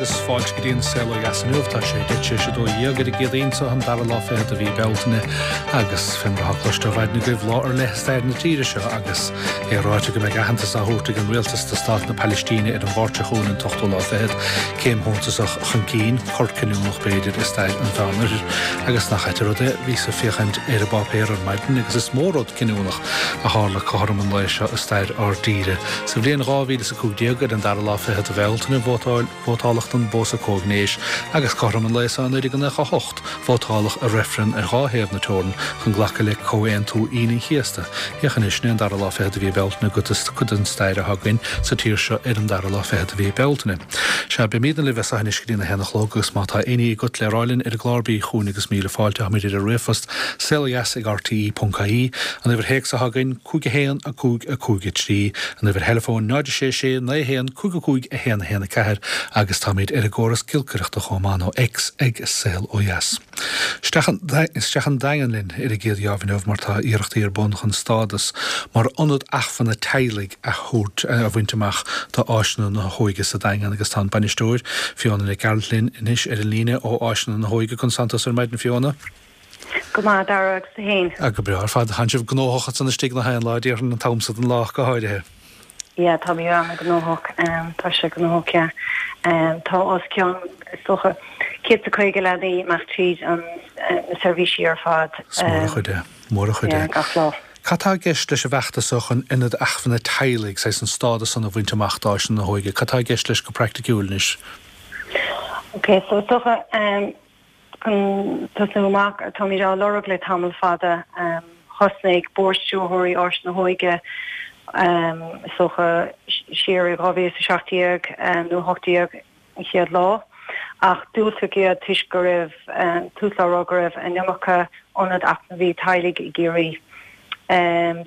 agus fáilte go dtí an Saol Ó Dheas inniu. Tá sé 12:10 ar an gCéadaoin seo, an dara lá fichead de mhí Bealtaine, agus fé mar atá cloiste ó mhaidin agaibh, lá ar leith i stair na tíre seo agus é ráite go mbeidh aitheantas á thabhairt ag an rialtas do stát na Palaistíne ar an Mháirt seo chugainn, an t-ochtú lá fichead. Céim shuntasach chun cinn, cor cinniúnach b'fhéidir, i stair an Mheánoirthir. Agus nach ait an rud é, bhíos ag féachaint ar an bpáipéar ar maidin agus is mó rud cinniúnach a tharla cothrom an lae seo i stair ár dtíre. Sa bhliain 2015, ar an dara lá fichead de Bhealtaine, vótáil, vótáladh don bpósadh comhghnéis agus cothrom an lae seo i 1998, vótáladh i reifreann ar dhá thaobh na teorann chun glacadh le Comhaontú Aoine an Chéasta. Féach anois, sin é an dara lá fichead de mhí Bealtaine agus cuid den stair atá againn sa tír seo ar an dara lá fichead de mhí Bealtaine. Sea, beimídne libh as seo anois go dtí na haon a chlog agus má tá éinní agat le rá linn ar an gclár bí chugainn agus míle fáilte. Táimid ar an ríomhphost, saolodheas@rte.ie, an uimhir théacs atá againn, 5 1 5 5 3, an uimhir theileafóin 0 6 6 9 1 5 5 1 1 4 agus táimid ar an gcóras giolcaireachta chomh maith nó X ag Saol Ó Dheas. Isteach isteach an Daingean linn ar an gcéad gheábh inniu mar tá iarrachtaí ar bun chun stádas mar ionad acmhainne teaghlaigh a thabhairt a bhaint amach do Áiseanna na hÓige sa Daingean agus tá an bainisteoir, Fiona Nic Gearailt linn anois ar an líne ó Áiseanna na hÓige. Conas tánn tusa ar maidin Fiona? Go maith, a Dhara, agus tú fhéin? Ah, go breá ar fad. Tánn sibh gnóthach ansan istigh gach aon lá, déarfainn, an t-am so den lá go háirithe. Yeah, táimid an-ghnóthach. Tá sé gnóthach, yeah. Tá os cionn, is dócha, 150 leanaí ag imeacht tríd an, na seirbhísí ar fad. Is mór an chuid é, mór an chuid é. Yeah, gach lá. Cad tá i gceist leis an bhfeachtas seo chun ionad acmhainne teaghlaigh, saghas an stádas san a bhaint amach d'Áiseanna na hÓige? Cad tá i gceist leis go praiticiúil anois? Ok, so is dócha, Chun tosnú amach, táimid á lorg le tamall fada. Thosnaigh Bord Stiúrthóirí Áis na hÓige, is dócha, siar i 2017 nó 18 an chéad lá, ach diúltaíodh iad toisc go raibh, tús le rá go raibh an iomarca ionad eacnamaí teaghlaigh i gCiarraí.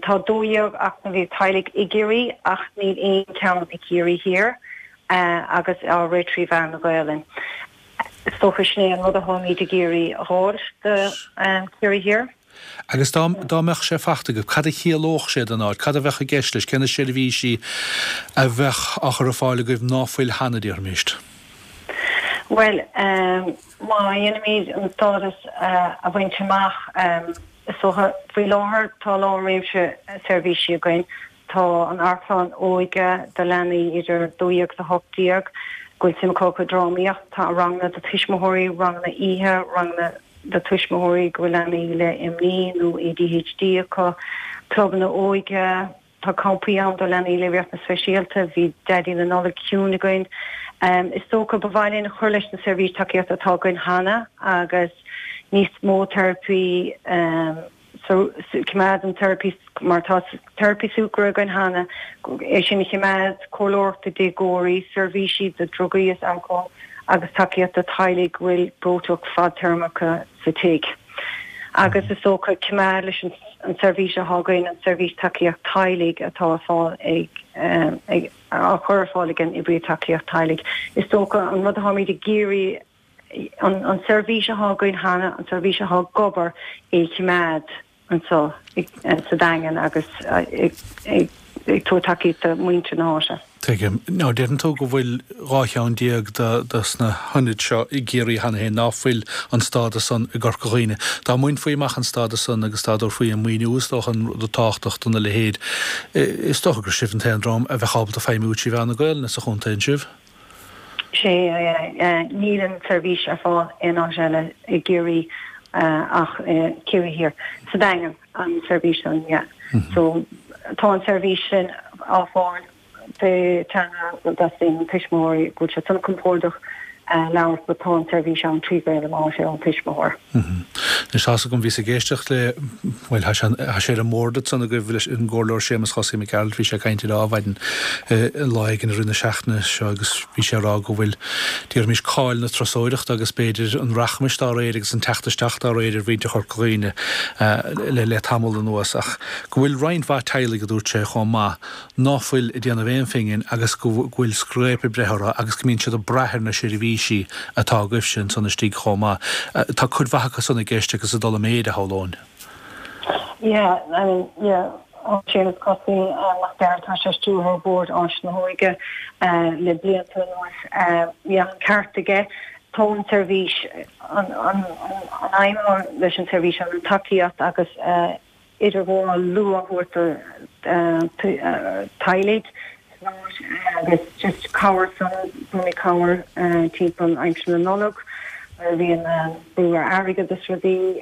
Tá 12 eacnamaí teaghlaigh i gCiarraí ach níl aon cheann i gCiarraí Thiar agus á rith trí mheán na Gaolainne. Is dócha sin é an rud atáimid ag iarraidh a dh'fháil do Chiarraí Thiar. Agus dá dá mbeadh sé fachta agaibh, cad a chiallódh sé don áit? Cad a bheadh i gceist leis? Cé na seirbhísí a bheadh á chur ar fáil agaibh ná fuil cheana, déarfaimis? Bhuel, má dhéanaimid an stádas a bhaint amach, is dócha, faoi láthair tá a lán réimse seirbhísí againn. Tá an Amharclann Óige do leanaí idir 12 agus 18 go bhfuil suim acu i drámaíocht. Tá ranganna do tuismitheoirí, ranganna oíche, ranganna do tuismitheoirí go bhfuil leanaí le imní nó ADHD acu, clubanna óige, tá campaí ann do leanaí le riachtanais speisialta, bhí Daidí na Nollag Ciúin againn. Is dócha ba mhaith linn cur leis na seirbhís tacaíochta atá againn cheana agus níos mó teiripí, So, coimeád an teiripí, mar tá teiripí súgartha againn cheana, é sin a choimeád, comhairleoireacht do déagóirí, seirbhísí do drugaí is alcól agus tacaíocht do teaghlaigh go bhfuil breoiteacht fadtéarmach sa tigh. Agus is dócha coimeád leis an seirbhís atá againn, an seirbhís tacaíocht teaghlaigh atá ar fáil ag, ag, á chur ar fáil ag an oibrí tacaíocht teaghlaigh. Is dócha an rud atáimid ag iarraidh an seirbhís atá againn cheana, an seirbhís atá ag obair, é a choimeád anseo sa Daingean agus ag tabhairt tacaíocht do mhuintir na háite. Tuigim. Now, deireann tú go bhfuil 12 cheann de sna hionaid seo i gCiarraí cheana féin, ná fuil an stádas san i gCorca Dhuibhne. Dá mbainfí amach an stádas san agus dá dtabharfaí an maoiniú is dócha an rud tábhachtach do na leithéid, is dócha gur sibh an t-aon dream a bheadh ábalta feidhmiú trí mheán na Gaelainne sa chontae, an sibh? Sea, níl an tseirbhís ar fáil aon áit eile i gCiarraí ach i Ciarraí Thiar. Sa Daingean, an tseirbhís sin, yeah. So, tá an tseirbhís sin á fáil pé teanga a dteastaíonn ón tuismitheoirí, go bhfuil siad san compordach labhairt, but tá an tseirbhís ann trí Ghaeilge más é ón tuismitheoir. Anois tá's agam, bhíos ag éisteacht le, bhuel, tá sé, tá sé ar an mbord ansan agaibh leis an gComhairleoir Séamus Chosaí Mac Gearailt, bhí sé ag caint ar Adhmhaidin lá éigin i rith na seachtaine seo agus bhí sé ag rá go bhfuil, déarfaimis, cáil na turasóireachta agus b'fhéidir an rachmais dá réir agus an teacht isteach dá réir ar mhuintir Chorca Dhuibhne le le tamall anuas ach go bhfuil roinnt mhaith teaghlaigh, a dúirt sé, chomh maith ná fuil ag déanamh aon phingin agus go bhfuil scréip ag breith orthu agus go mbíonn siad ag brath ar na seirbhísí atá agaibhse ansan istigh chomh maith. Tá cuid mhaith acu san i gceist agus ag dul i méid, a shamhlóinn. Yeah, I mean, yeah. Séamus Cosaí Mac Gearailt, tá sé stiúrthóir Bhord Áis na hÓige le blianta anuas. Bhí an ceart aige. Tá an tseirbhís, an aidhm leis an tseirbhís an tacaíocht agus idirghabháil luath a thabhairt do teaghlaigh agus just cabhair san, tugaimid cabhair timpeall aimsir na Nollag nuair a bhíonn brú ar airgead is rudaí.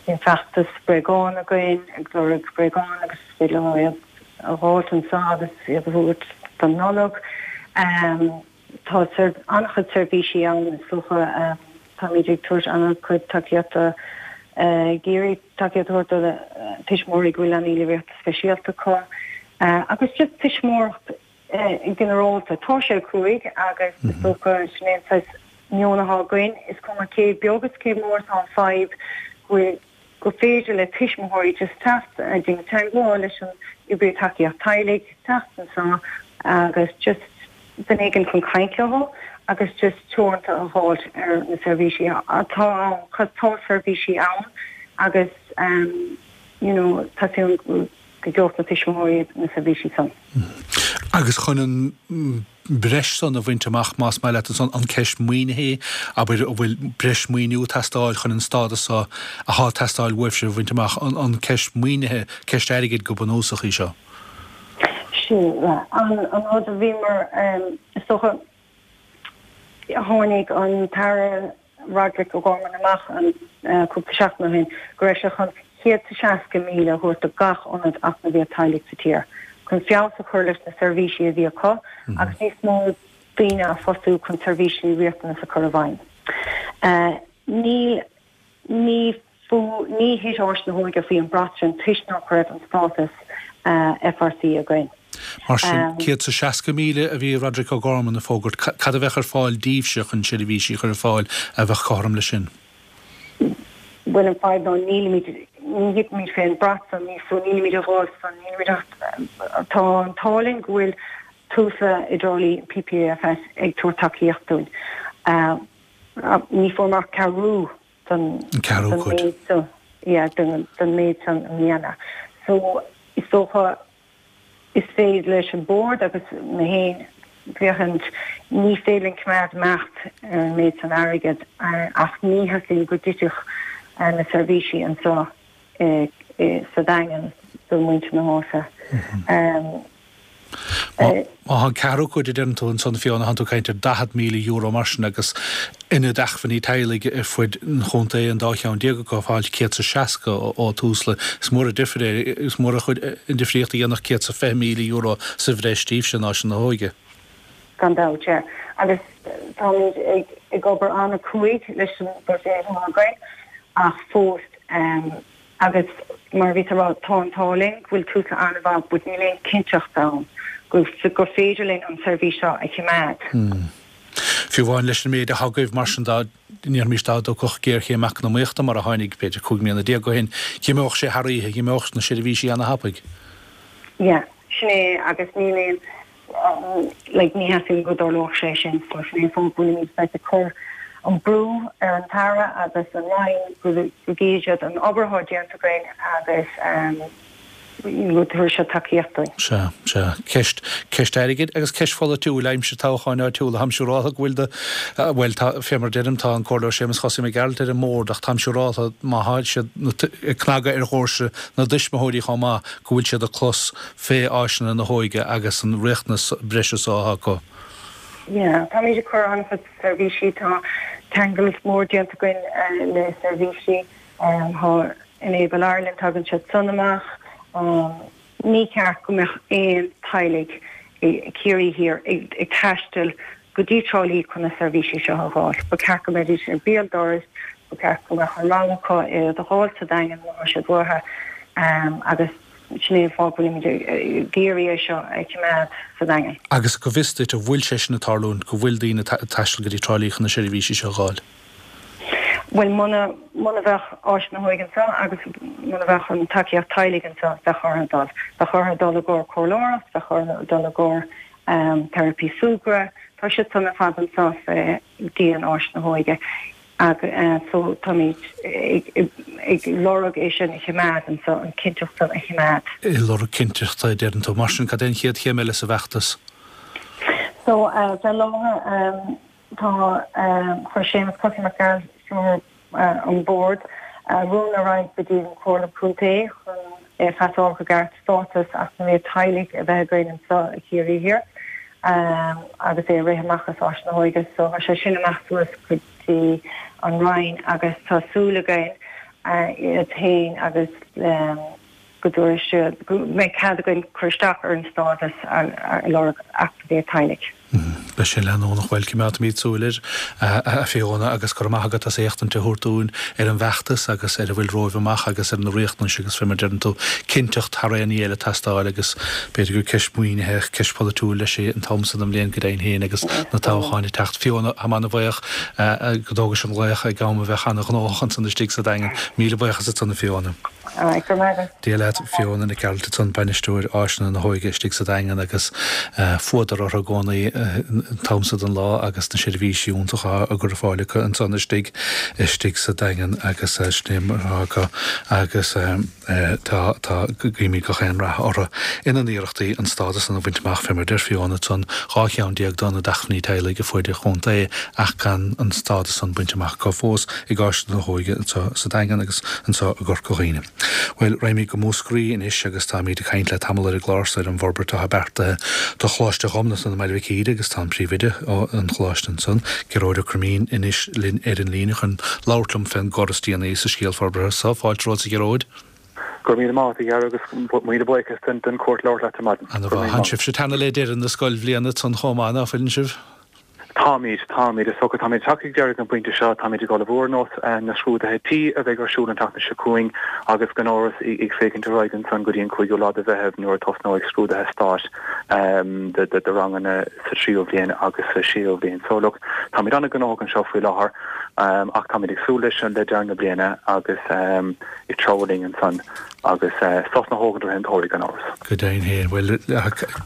Bíonn feachtas bréagán againn ag lorg bréagán agus is féidir leo iad a dh'fháilt anseo agus iad a thabhairt don Nollaig. Tá an-chuid seirbhísí ann is dócha. Táimid ag tabhairt an-chuid tacaíochta, ag iarraidh tacaíocht a thabhairt do tuismitheoirí go bhfuil leanaí le riachtanais speisialta acu agus just tuismitheoireacht ginearálta. Tá sé cruaidh agus is dócha sin é an saghas meon atá againn, is cuma cé beag is cé mór atá an fadhb go bhfuil gur féidir le tuismitheoirí just teacht ag déanamh teagmháil leis an oibrí tacaíocht teaghlaigh, teacht anseo agus just duine éigin chun caint leo agus just teoranta a dh'fháilt ar na seirbhísí atá ann 'cause tá seirbhísí ann agus you know tá súil go gheobhadh na tuismitheoirí na seirbhísí san. Agus chun an breis san a bhaint amach, más maith leat ansan, an ceist maoinithe, abair, an bhfuil breis maoiniú ag teastáil chun an stádas so athá ag teastáil uaibhse a bhaint amach, an ceist maoinithe, ceist airgid go bunúsach í seo? Sin an rud a bhíomar, is dócha, tháinig an tAire Roderic O'Gorman amach cúpla seachtain ó shin go raibh sé chun 160,000 a thabhairt do gach ionad eacnamaíocht teaghlaigh sa tír chun feabhas a chur leis na seirbhísí a bhí acu agus níos mó daoine a phostú chun seirbhísí riachtanas a chur i bhfeidhm. Níl, ní. Ní thit Áis na hÓige faoi an brat sin toisc nach raibh an stádas FRC againn. Mar sin, 160,000 a bhí Roderic O'Gorman ag fógairt. Cad a bheadh ar fáil daoibhse chun seirbhísí a chur ar fáil a bheadh cothrom leis sin? Bhuel, an fadhb ná nílimid, ní thitimid fén brat san, ní, so nílimid ag fáil san, nílimid ach, tá an t-ádh linn go bhfuil Tusla i dTrá Lí, PPAFS, ag tabhairt tacaíocht dúinn. Ní fuair mé ach ceathrú don méid san, yeah, don méid san i mbliana. So, is dócha, is féidir leis an Bord agus mé féin féachaint, ní féidir linn coimeád imeacht ar an méid san airgead ach ní theastaíonn go dtitfeadh na seirbhísí anseo sa Daingean do mhuintir na háite. Má tá an ceathrú cuid a deireann tú ansan Fiona, tánn tú ag caint ar €40,000 mar sin agus ionad acmhainní teaghlaigh ar fuid an chontae, an dá cheann déag acu, ag fáil 160 ó Tusla. Is mór an difir é, is mór an difríocht a dhéanfadh €120,000 sa bhreis daoibhse in Áiseanna na hÓige. Gan dabht, yeah. Agus táimid ag obair an-chruaidh leis an bhuiséad atá againn ach fós, Agus mar a bhíos a rá, tá an t-ádh linn go bhfuil Tusla an-mhaith but níl aon cinnteacht ann go gur féidir linn an seirbhís seo a choimeád. Fiú amháin leis an méid atá agaibh, mar sin, dá ndéarfaimis dá dtiocfadh géarchéim eacnamaíochta mar a tháinig b'fhéidir 15 mbliana ó shin, dh'imeodh sé thar oíche, dh'imeodh na seirbhísí ana-thapaidh. Yeah, sin é agus níl aon like ní theastaíonn go dtarlódh sé sin so sin é an fáth go bhfuilimid saghas ag cur an brú ar an tAire agus an Roinn go gcífidh siad an obair atá déanta againn agus go dtabharfaidh siad tacaíocht dúinn. Sea, sea. Ceist, ceist airgid agus ceist pholaitiúil aimsir toghcháin áitiúla. Táim siúráltha go bhfuil do, bhuel, tá, fé mar a deirim, tá an Comhairleoir Séamus Chosaí Mac Gearailt ar an mbord ach táim siúráltha má tá siad ag cnagadh ar dhoirse na dtuismitheoirí chomh maith go bhfuil siad ag clos fé áiseanna na hóige agus an riachtanas breise so atá acu. Yeah, táimid ag cur an-chuid seirbhísí, tá ceangal mór déanta againn le seirbhísí, tá Enable Ireland, tagann siad san amach. Ní ceart go mbeadh aon teaghlaigh i Ciarraí Thiar ag taisteal go dtí Trá Lí chun na seirbhísí seo a dh'fháil. Ba cheart go mbeidís ar béal dorais, ba cheart go mbeadh an rogha acu iad a dh'fháil sa Daingean má tá siad uathu agus sin é an fáth go bhfuilimid ag iarraidh é seo a choimeád sa Daingean. Agus go bhfios duit, an bhfuil sé sin ag tarlúint, go bhfuil daoine ag taisteal go dtí Trá Lí chun na seirbhísí seo a dh'fháil? Bhuel, muna, muna bheadh Áis na hÓige anseo agus muna bheadh an tacaíocht teaghlaigh anseo, bheadh orthu dul. Bheadh orthu dul i gcomhair comhairleoireacht, bheadh orthu dul i gcomhair teiripí súgradh. Tá siad san ar fad anseo fé dhíon Áis na hÓige. Agus so táimid ag lorg é sin a choimeád anso, an chinnteacht san a choimeád. Ag lorg cinnteachta, a deireann tú. Mar sin, cad é an chéad chéim eile sa bhfeachtas? So, fé láthair, tá, chuir Séamus Cosaí Mac Gearailt, Stiúrthóir an Bhord, rún ar aghaidh go dtí an Chomhairle Contae chun é a phasáil go gceart stádas eacnamaíocht teaghlaigh a bheith againn anso i Chiarraí Thiar agus é a rith amach as Áis na hÓige. So tá sé sin amach suas go dtí an Roinn agus tá súil againn iad féin agus go dtabharfaidh siad, go mbeidh cead againn cur isteach ar an stádas a lorg eacnamaíocht teaghlaigh. Beidh sin leanúnach. Bhuel, coimeádfaimid súil air, a Fiona, agus go raibh maith agat as éachtaint a thabhairt dúinn ar an bhfeachtas agus ar a bhfuil romhaibh amach agus ar na riachtanais agus fé mar a deireann tú, cinnteacht thar aon ní eile ag teastáil agus b'fhéidir gur ceist maoinithe, ceist pholaitiúil leis é an t-am so den bhliain go deimhin féin agus na toghcháin ag teacht. Fiona, tá mé ana-bhuíoch go dtógais an glaoch ag am a bheadh ana-ghnóthach ansan istigh sa Daingean. Míle buíochas ansan, a Fiona. Go raibh maith agat. Dia leat, Fiona Nic Gearailt ansan, Bainisteoir Áiseanna na hÓige istigh sa Daingean agus fuadar orthu i gcónaí an t-am so den lá agus na seirbhísí iontacha á gcur ar fáil acu ansan istigh istigh sa Daingean agus sin é mar atá acu agus tá tá guímid gach aon rath orthu ina n-iarrachtaí an stádas san a bhaint amach fé mar deir Fiona ansan 12 cheann d'Ionaid Acmhainní Teaghlaigh ar fuaid an chontae ach gan an stádas san bainte amach acu fós ag Áiseanna na hÓige anseo sa Daingean agus anseo i gCorca Dhuibhne. Bhuel, raghaimid go Múscraí anois agus táimid ag caint le tamall ar an gclár so ar an bhforbairt atá beartaithe do Choláiste Ghobnatan i mBaile Mhic Íre agus tá an Príomhoide an Choláiste ansan, Gearóid Ó Croimín, anois linn ar an líne chun labhairt liom fén gcor is déanaí sa scéal forbartha so. Fáilte romhat a Ghearóid. Go raibh míle maith agat, a Dhara, agus míle buíochas don chuairt labhairt leat ar maidin. Ana mhaith. Tánn sibhse ag teannadh le deireadh na scoilbhliana ansan chomh maith, ná fuileann sibh? Táimid, táimid. Is dócha, táimid tagtha ag deireadh an phointe seo, táimid ag ullmhú ar nós na scrúduithe tí a bheidh ar siúl an tseachtain seo chugainn agus gan amhras ag féachaint ar aghaidh ansan go dtí an cúigiú lá de Mheitheamh nuair a tosnóidh scrúduithe stáit do ranganna sa tríú bhliain agus sa séú bhliain. So look, táimid an-ghnóthach anseo faoi láthair ach táimid ag súil leis le deireadh na bliana agus ag treabhadh linn ansan agus sos na hóige tar éis an tsamhraidh gan amhras. Go deimhin féin. Bhuel,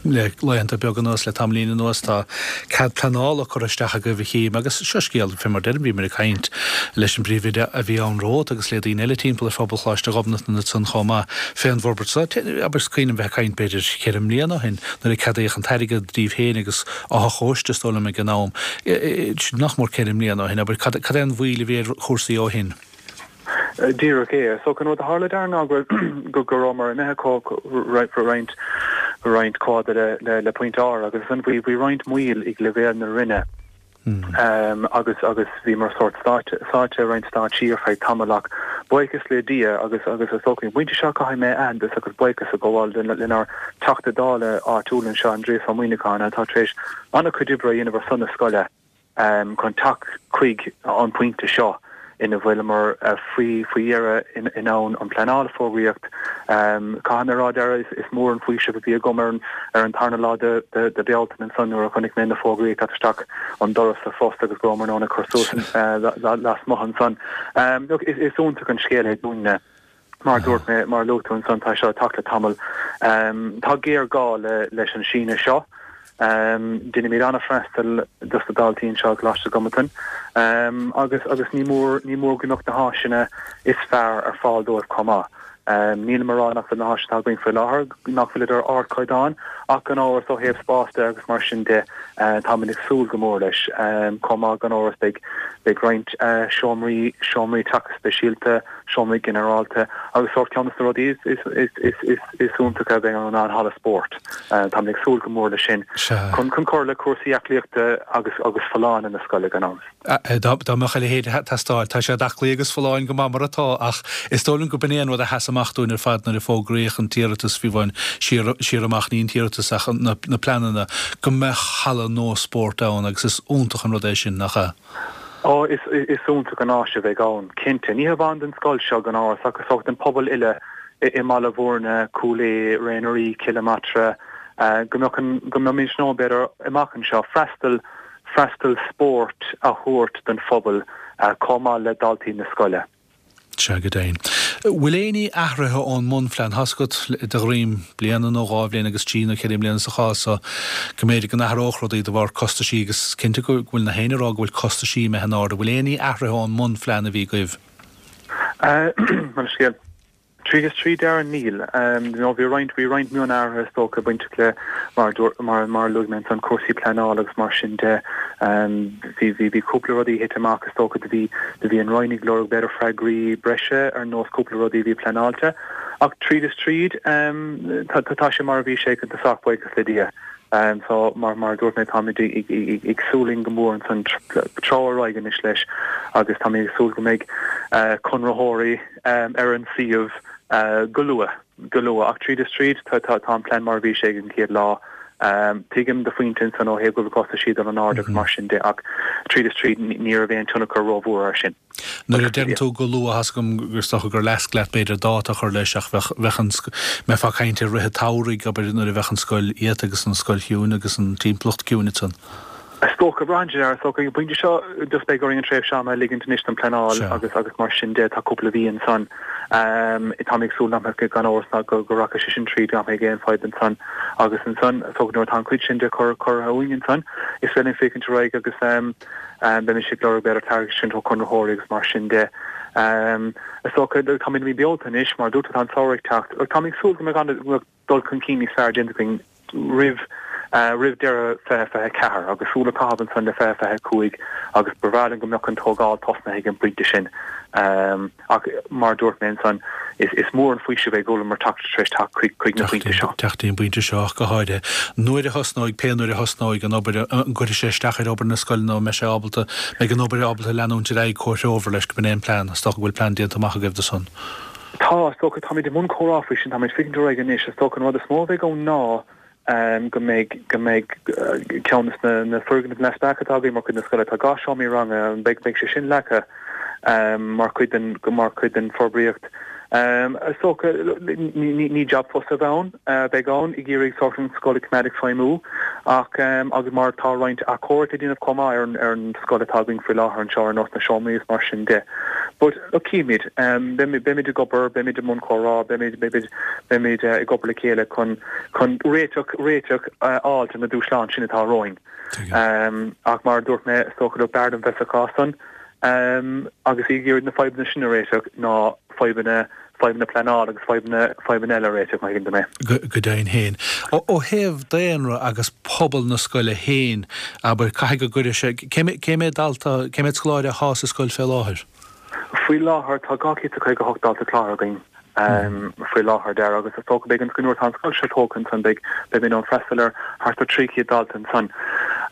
le laethanta beaga anuas, le tamaillín anuas, tá cead pleanála curtha isteach agaibh a chím agus seo scéal, fé mar deirim, bhíomar ag caint leis an bpríomhoide a bhí ann romhat agus le daoine eile timpeall ar phobal Choláiste Ghobnatan ansan chomh maith fén bhforbairt seo. Abair, is cuimhin liom bheith ag caint b'fhéidir cheithre mbliana ó shin nuair a ceadaíodh an t-airgead daoibh féin agus Áth Chóiste is dóigh liom ag an am. Sin nach mór ceithre mbliana ó shin, abair, cad é an mhoill a bhí ar chúrsaí ó shin? Díreach é. So an rud a tharla Darragh ná go go go rabhamar imithe roinnt roinnt chomh fada le le le Pointe R agus ansan bhí bhí roinnt moill ag leibhéal na Roinne agus agus bhíomar sórt sáite sáite i roinnt stáitsí ar feadh tamaill ach buíochas le Dia agus agus is dócha an pointe seo caithfidh mé aitheantas agus buíochas a ghabháil lenár Teachta Dála áitiúil anseo Aindrias Ó Muimhneacháin atá tar éis an-chuid oibre a dhéanamh ar son na scoile. chun teacht chuig an bpointe seo ina bhfuileamar faoi dheireadh in ann an pleanáil a fógraíocht. Caithfidh mé a rá Darragh, is mór an faoiseamh a bhí agam ar an tarna lá de Bealtaine ansan nuair a chonaic mé na fógraí ag teacht isteach an doras sa phost agus go rabhamar in ann a cur suas lasmuigh ansan. Look, is iontach an scéal é dúinne. Mar a dúirt mé, mar a luaigh tú ansan, tá seo ag teacht le tamall. Tá géarghá leis an síneadh seo. Deinimid an-fhreastal dos na daltaí anseo i gColáiste Ghobnatan agus agus ní mór ní mór go mbeadh na háiseanna is fearr ar fáil dóibh chomh maith. Nílim a rá nach bhfuil na háiseanna atá againn faoi láthair, nach bhfuilid ar ardchaighdeán ach gan amhras ó thaobh spáis de agus mar sin de táimid ag súil go mór leis. Chomh maith gan amhras beidh beidh roinnt seomraí seomraí teagasc speisialta, seomraí ginearálta agus sórt ceann de na rudaí is iontacha a bheidh ann ná an halla spóirt. Táimid ag súil go mór leis sin chun cur le cúrsaí aclaíochta agus agus folláine na scoile gan amhras. Dá mbeadh a leithéid ag teastáil. Tá siad aclaí agus folláin go maith mar atá ach is dóigh liom go b'in é an rud a sheas amach dúinn ar fad nuair a fógraíodh an t-iarratas fiú amháin siar siar amach, ní an t-iarratas ach na pleananna, go mbeadh halla nua spóirt ann agus is iontach an rud é sin, nach ea? Ó, is iontach an áis a bheidh ann, cinnte. Ní hamháin don scoil seo, gan amhras, ach is dócha don pobal uile i mBaile Bhúirne, Cúil Aodha, Ré na Rí, Cill Matra, go mbeadh an, go mbeimid in ann, b'fhéidir, amach anseo, freastal, freastal spóirt a thabhairt don phobal chomh maith le daltaí na scoile. Sea, go deimhin. Bhfuil éinní athraithe ón mbunphlean? Tá's agat, de dhroim bliana nó 2 bhliain agus trí nó 4 mbliana sa chás so, go mb'fhéidir go n-athródh rudaí de bharr costaisí agus is cinnte go bhfuil na héinne ag rá go bhfuil costaisí imithe in airde. Bhfuil éinní athraithe ón mbunphlean a bhí agaibh? Bhuel, scéal. Tríd is tríd, Darren, níl. You know, bhí roinnt, bhí roinnt mionathruithe is dócha bainteach le, mar a dúirt, mar, mar a luaigh mé ansan, cúrsaí pleanála agus mar sin de. Bhí, bhí, bhí cúpla rudaí a thit amach is dócha do bhí, do bhí an Roinn ag lorg b'fhéidir freagraí breise ar nós cúpla rudaí a bhí pleanáilte. Ach tríd is tríd, tá, tá, tá sé mar a bhí sé ag an tosach, buíochas le Dia. So, mar, mar a dúirt mé, táimid ag, ag, ag súil linn go mór ansan treabhadh ar aghaidh anois leis agus táimid ag súil go mbeidh conraitheoirí ar an suíomh go luath, go luath. Ach tríd is tríd, tá, tá, tá an plean mar a bhí sé ag an chéad lá. Tuigim do phointe ansan ó thaobh go bhfuil costaisí ag dul in airde agus mar sin de ach tríd is tríd ní raibh aon tionchar rómhór air sin. Nuair a deireann tú go luath, tá's agam gur is dócha gur leasc leat b'fhéidir dáta a chur leis ach bheadh, bheadh an, mbeifeá ag caint ar rith an tsamhraidh, abair, nuair a bheadh an scoil iata agus an scoil chiúin agus an timpeallacht ciúin ansan. Is dócha, braitheann sé ar, is dócha, ag an bpointe seo just beidh orainn an tréimhse ama a ligint anois don pleanáil agus agus mar sin de, tá cúpla mhí ansan. Táim ag súil nach mbeadh, gan amhras ná go go rachaidh sé sin tríd, nach mbeidh aon fadhb ansan agus ansan, is dócha nuair atá an chuid sin de cur curtha uainn ansan, is féidir linn féachaint ar aghaidh agus beimis ag lorg b'fhéidir tairiscint ó chonraitheoirí agus mar sin de. Is dócha, táimid i mí Bealtaine anois, mar a dúirt tú, tá an samhradh ag teacht. Táim ag súil go mbeidh an, go mbeidh dul chun cinn níos fearr déanta againn roimh roimh deireadh 2024 agus súil a chaitheamh ansan le 2025 agus ba bhreá linn go mbeadh an tógáil tosnaithe ag an bpointe sin. Ach mar a dúirt mé ansan, is mór an faoiseamh é go bhfuileamar teacht tar éis teacht chuig na pointe seo. Teacht dtí an bpointe seo ach go háirithe. Nuair a thosnóidh, pé nuair a thosnóidh an obair, an gcuirfidh sé isteach ar obair na scoile nó an mbeidh sé ábalta, mbeidh an obair ábalta leanúint ar aghaidh comhthreomhar leis, go b'in é an plean? Is dócha go bhfuil plean déanta amach agaibh do san. Tá, is dócha, táimid i mbun comhrá faoi sin, táimid féachaint ar aghaidh anois. Is dócha an rud is mó a bheidh ann ná go mbeidh, go mbeidh ceann de na, na foirgnimh neamhspleácha atá againn mar chuid na scoile, tá 2 seomraí ranga, beidh, beidh sé sin leagtha mar chuid den, mar chuid den forbraíocht. Is dócha, ní, ní, ní jab fusa a bheidh ann, a bheidh ann ag iarraidh sórt an scoil a choimeád ag feidhmiú ach, agus mar tá roinnt athchóirithe le déanamh chomh maith ar an, ar an scoil atá againn faoi láthair anseo ar nós na seomraí is mar sin de. But, look, cífimid. Beimid, beimid ag obair, beimid i mbun comhrá, beimid, beimid, beimid ag obair le chéile chun, chun réiteach, réiteach a fháil de na dúshláin sin atá romhainn. Ach mar a dúirt mé, is dócha look, b'fhearr dom bheith sa chás san agus ag iarraidh na fadhbanna sin a réiteach ná fadhbanna, fadhbanna pleanála agus fadhbanna, fadhbanna eile a réiteach, má thuigeann tú mé. Go deimhin féin. Ó thaobh daonra agus pobal na scoile féin, abair, caithfidh go gcuirfidh sé, cé, cé mhéad dalta, cé mhéad scoláire athá sa scoil fé láthair? Faoi láthair tá 258 dalta cláraithe againn faoi láthair, Dara, agus is dócha beidh an, nuair atá an scoil seo tógtha ansan beidh, beimid in ann freastal ar thart ar 300 dalta ansan.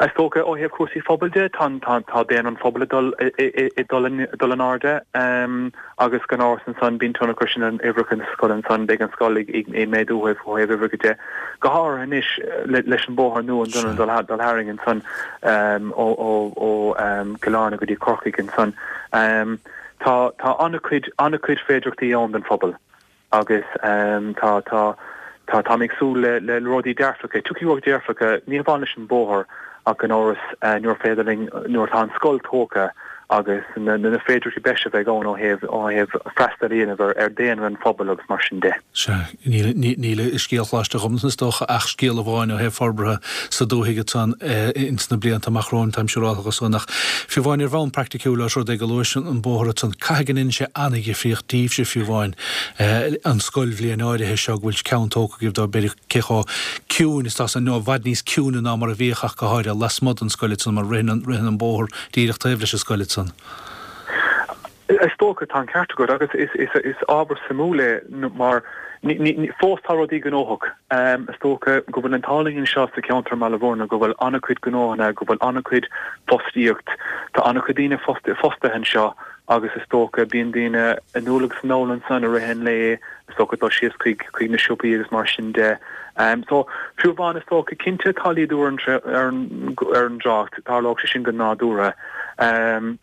Is dócha ó thaobh cúrsaí phobail de, tá, tá, tá daonra an phobail ag dul, ag dul, ag dul in airde agus gan amhras ansan bíonn tionchar sin ar uimhreacha na scoile ansan, beidh an scoil ag, ag, ag méadú ó thaobh, ó thaobh uimhreacha de. Go háirithe anois leis an bóthar nua an dul dul tharainn ansan ó ó Cill Airne go dtí Corcaigh ansan. Tá tá an-chuid an-chuid féidearthachtaí ann don phobal agus tá tá tá táim ag súil le le rudaí dearfacha. Tiocfaidh rudaí dearfacha ní hamháin leis an bóthar ach gan amhras nuair féidir linn nuair atá an scoil tógtha agus na na féidearthachtaí breise a bheidh ann ó thaobh ó thaobh freastal a dhéanamh ar ar daonra an phobail agus mar sin de. Sea, níl níl i scéal Choláiste Ghobnatan is dócha ach scéal amháin ó thaobh forbartha sa dúthaigh ansan ins na blianta amach romhainn, táim siúráltha dhe san. Ach fiú amháin ar bhonn praiticiúil, ós rud é go luais an bóthar ansan, caithfidh go ndéanann sé an-dhifríocht daoibhse fiú amháin an scoilbhliain áirithe seo go bhfuil ceann tógtha agaibh dó, b'fhéidir cé chomh ciúin is atá san, nó i bhfad níos ciúine ná mar a bhíodh ach go háirithe lasmuigh den scoil ansan mar ritheann ritheann an bóthar díreach taobh leis an scoil ansan. Is dócha, tá an ceart agat agus is ábhar suimiúil é mar fós tá rudaí gnóthach. Is dócha go bhfuil an t-ádh linn anseo sa cheantar i mBaile Bhúirne go bhfuil an-chuid gnóthanna, go bhfuil an-chuid fostaíocht, tá an-chuid daoine fostaithe anseo agus is dócha bíonn daoine anall agus anall ansan i rith an lae. Is dócha dul síos chuig chuig na siopaí agus mar sin de. So, fiú amháin is dócha, cinnte tá laghdú ar an ar an ar an dtrácht, tarlóidh sé sin go nádúrtha.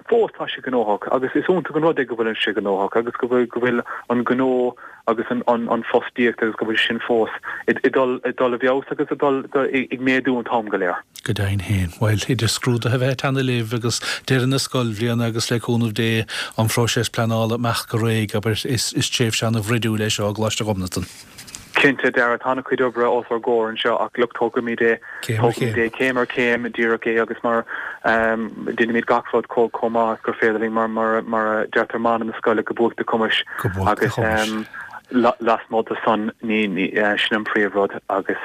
Fós tá sé gnóthach agus is iontach an rud é go bhfuil sé gnóthach agus go bhfuil go bhfuil an gnó agus an an an fostaíocht agus go bhfuil sin fós ag dul ag dul i bhfeabhas agus ag dul ag méadú an t-am go léir. Go deimhin féin. Bhuel, idir scrúduithe a bheith ag teannadh libh agus deireadh na scoilbhliana agus le cúnamh Dé an phróiseas pleanála imeacht go réidh, abair, is tréimhse ana-bhruidiúil é seo i gColáiste Ghobnatan. Cinnte, Dara, tá an-chuid oibre os ár gcomhair anseo ach look, tógfaimid é, tógfaimid é céim ar chéim, díreach é agus mar, déanfaimid gach rud chomh maith is gur féidir linn mar, mar, mar a deirtear mana na scoile, go buaic do chumais agus lasmuigh de san, ní, ní, sin an príomhrud agus.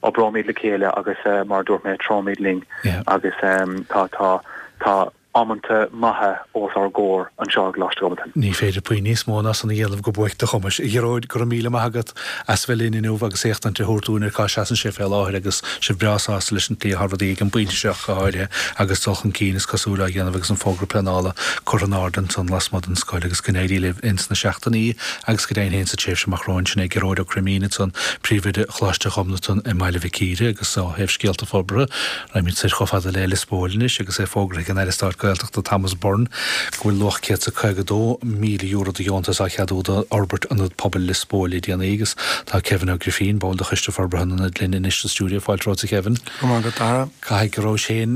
Oibreoimid le chéile agus mar a dúirt mé, treoimid linn agus tá, tá, tá amanta maithe os ár gcomhair anseo i gColáiste Ghobnatan. Ní féidir puinn níos mó ná san a dhéanamh go buaic do chumais. A Ghearóid, go raibh míle maith agat as bheith linn inniu agus éachtaint a thabhairt dúinn ar cá seasann sé fé láthair agus sibh breá sásta leis an tslí atá rudaí ag an bpointe seo ach go háirithe agus dul chun cinn is cosúil á dhéanamh agus an fógra pleanála curtha in airde ansan lasmuigh den scoil agus go n-éirí libh ins na seachtainí Agus go deimhin féin sa tréimhse amach romhainn, sin é Gearóid Ó Cruimín ansan, Príomhoide Choláiste Ghobnatan i mBaile Mhic Íre agus ó thaobh scéalta forbartha, raghaimid soir chomh fada le Lios Póil anois agus é fógraithe ag an Aire Stáit Gaeltachta Thomas Byrne go bhfuil luach €152,000 de dheontas á cheadú d'fhorbairt Ionad Pobail Lios Póil le déanaí agus tá Kevin Ó Grifín, ball de Choiste Forbartha an Ionaid linn anois sa stiúideo. Fáilte romhat a Kevin. Go raibh maith agat, Dara. Caithfidh go rabhais féin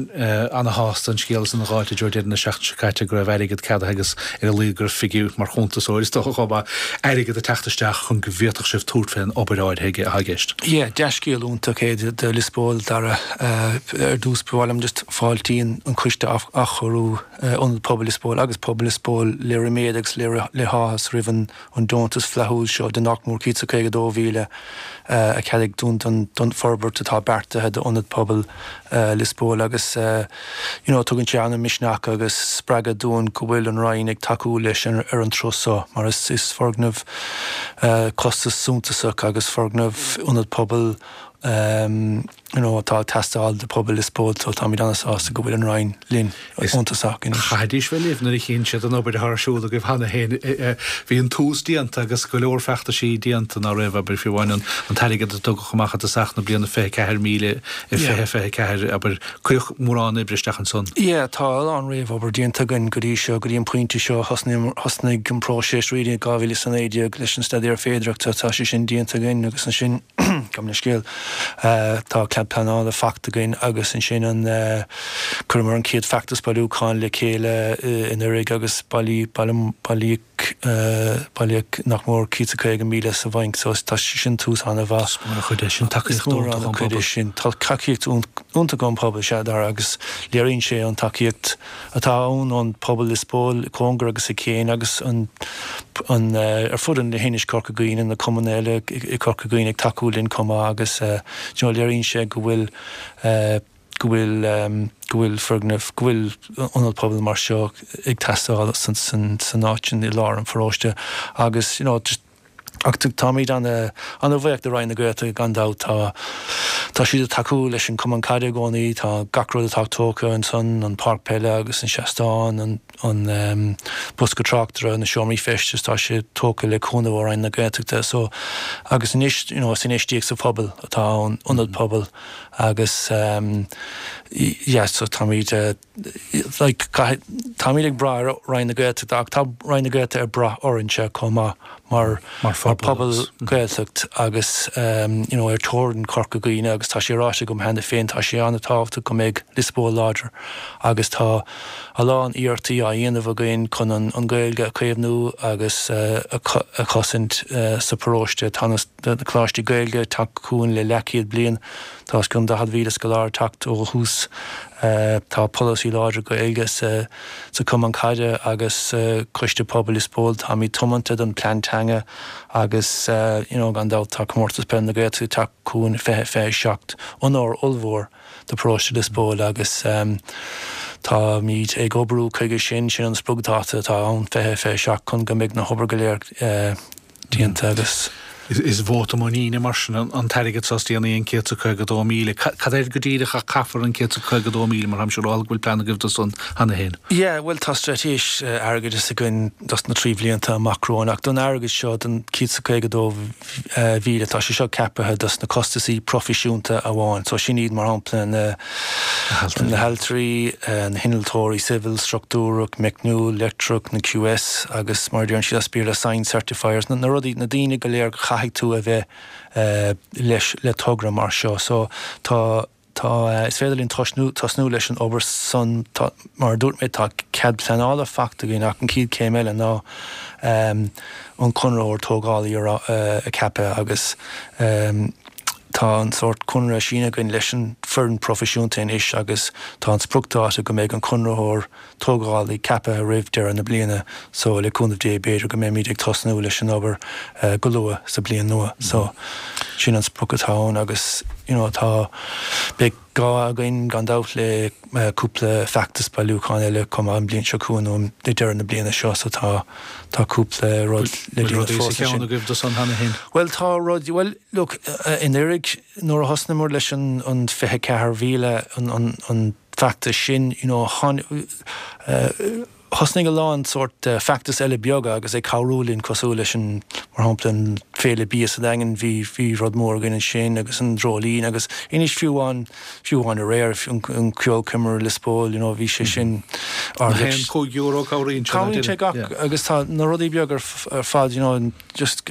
ana-shásta an scéala san a dh'fháilt i dtreo deireadh na seachtaine seo caite, go raibh airgead ceadaithe agus ar a laghad go raibh figiúr, mar chuntasóir is dócha chomh maith, airgead ag teacht isteach chun go bhféadfadh sibh tabhairt fén obair áirithe atá i gceist. Yeah, dea-scéal iontach é do Lios Póil, Dara. Ar dtús, ba mhaith liom just fáiltíonn an Coiste Athchóiriú Ionad Pobail Lios Póil agus Pobal Lios Póil le ríméad agus le háthas roimh an an deontas flaithiúil seo de nach mór 152,000 a ceadaíodh dúinn don forbairt atá beartaithe d'Ionad Pobail Lios Póil agus you know tugann sé an-misneach agus spreagadh dúinn go bhfuil an Roinn ag tacú leis ar an turas seo mar is is foirgneamh costas suntasach agus foirgneamh Ionad Pobail you know atá ag teastáil do phobal Lios Póil so táimid an-sásta go bhfuil an Roinn linn iontach anois. Chaithfidís bheith libh nuair a chíonn siad an obair atá ar siúl agaibh cheana féin. Bhí an tús déanta agus go leor feachtaisí déanta ná raibh, abair, fiú amháin an t-airgead a tugadh amach i dtosach na bliana 24,000 i 2024, abair, cuireadh mórán oibre isteach ansan. Yeah, tá a lán réamhobair déanta againn go dtí seo, go dtí an pointe seo. Thosnaigh an próiseas really i 2019 leis an staidéar féidearthachta, tá sé sin déanta againn agus ansin, Gabh mo leithscéal. Tá cead pleanála faighte againn agus ansin an chuireamar an chéad feachtas bailiúcháin le chéile anuraidh agus bailíodh bailíodh nach mór 150,000 sa bhainc so tá sé sin tús an-mhaith. Is mór an chuid é sin, tacaíocht iontach ón bpobal. Sin. Tá tacaíocht iontach ón bpobal, sea, Dara, agus léiríonn sé an tacaíocht atá ann ón pobal Lios Póil, cóngar agus i gcéin agus an an ar fud an leithinis Corca Dhuibhne, na cumainn eile i Corca Dhuibhne ag tacú linn chomh maith agus you know léiríonn sé go bhfuil go bhfuil go bhfuil foirgneamh, go bhfuil ionad pobail mar seo ag teastáil san san san áit sin i lár an pharóiste agus you know just Ach táimid ana-bhuíoch de Roinn na Gaeltachta gan dabht. Tá tá siad ag tacú leis an Cumann Caide i gcónaí. Tá gach rud atá tógtha ansan, an páirc peile agus an seastán, an an bosca tráchtaire, na seomraí feistis, tá sé tógtha le cúnamh ó Roinn na Gaeltachta. So agus anois you know is infheistíocht sa phobal atá ann, ionad pobail agus yeah so táimid like caithfidh, táimid ag brath ar Roinn na Gaeltachta ach tá Roinn na Gaeltachta ag brath orainnse chomh maith mar mar phobal Gaeltacht agus you know ar teorainn Chorca Dhuibhne agus tá sé ráite agam cheana féin tá sé an-tábhachtach go mbeidh Lios Póil láidir agus tá a lán iarrachtaí á dhéanamh againn chun an an Ghaeilge a chaomhnú agus a a chosaint sa pharóiste. Tá na coláistí Gaeilge ag teacht chugainn le leathchéad bliain. Tá os cionn 40,000 scoláire ag teacht ó thús. Tá polasaí láidir Gaeilge sa Chumann Caide agus sa Choiste Pobail Lios Póil. Táimid tiomanta don plean teanga agus you know gan dabht tá Comórtas Peile na Gaeltachta ag teacht chugainn 2027. Onóir ollmhór do Paróiste Lios Póil agus táimid ag oibriú chuige sin. Sin an spriocdháta atá ann 2027 chun go mbeidh na hobair go léir déanta agus. Is vóta muiníne mar sin an t-airgead seo is déanaí, an 152,000. Cad air go díreach a caithfear an 152,000 mar táim siúráilte go bhfuil plean agaibh do san cheana féin? Yeah, bhuel tá straitéis airgeadais againn dos na 3 bhlianta amach romhainn ach don airgead seo, don 152,000, tá sé seo ceapaithe dos na costasaí proifisiúnta amháin. So sin iad mar shampla na na hailtirí, na hinnealtóirí civil, struchtúrach, meicniúil, leictreach, na QS agus mar a deireann siad as Béarla sign certifiers, na rudaí, na daoine go léir go chaithfidh tú a bheith leis le togra mar seo. So tá, tá, is féidir linn tosnú, tosnú leis an obair san, tá, mar a dúirt mé tá cead pleanála faighte againn ach an chéad chéim eile ná an conraitheoir tógálaí a cheapadh agus Tá an sórt conradh sínithe againn leis an foireann proifisiúnta anois agus tá an spriocdháta go mbeidh an conraitheoir tógálaí ceaptha roimh deireadh na bliana so le cúnamh Dé b'fhéidir go mbeimid ag tosnú leis an obair go luath sa bliain nua. So sin an sprioc atá ann agus you know tá, beidh gá againn gan dabht le cúpla feachtas bailiúcháin eile chomh maith an bliain seo chugainn nó ag deireadh na bliana seo so tá tá cúpla rud le déanamh fós ansin. Bhfuil rudaí sa cheann agaibh do san cheana féin? Bhuel tá rudaí, bhuel look i ndáiríre nuair a thosnaíomar leis an an 24,000 an an feachtas sin you know tháinig Thosnaigh a lán sórt feachtas eile beaga agus ag cabhrú linn cosúil leis an, mar shampla, an Féile Bia sa Daingean, bhí, bhí rud mór againn ansin agus an Dreoilín agus anois fiú amháin, fiú amháin aréir, an ceolchoirm i Lios Póil, you know, bhí sé sin ard. Nach aon €5 cabhraíonn sé, Cabhraíonn sé gach, agus tá na rudaí beaga ar fad, you know, just,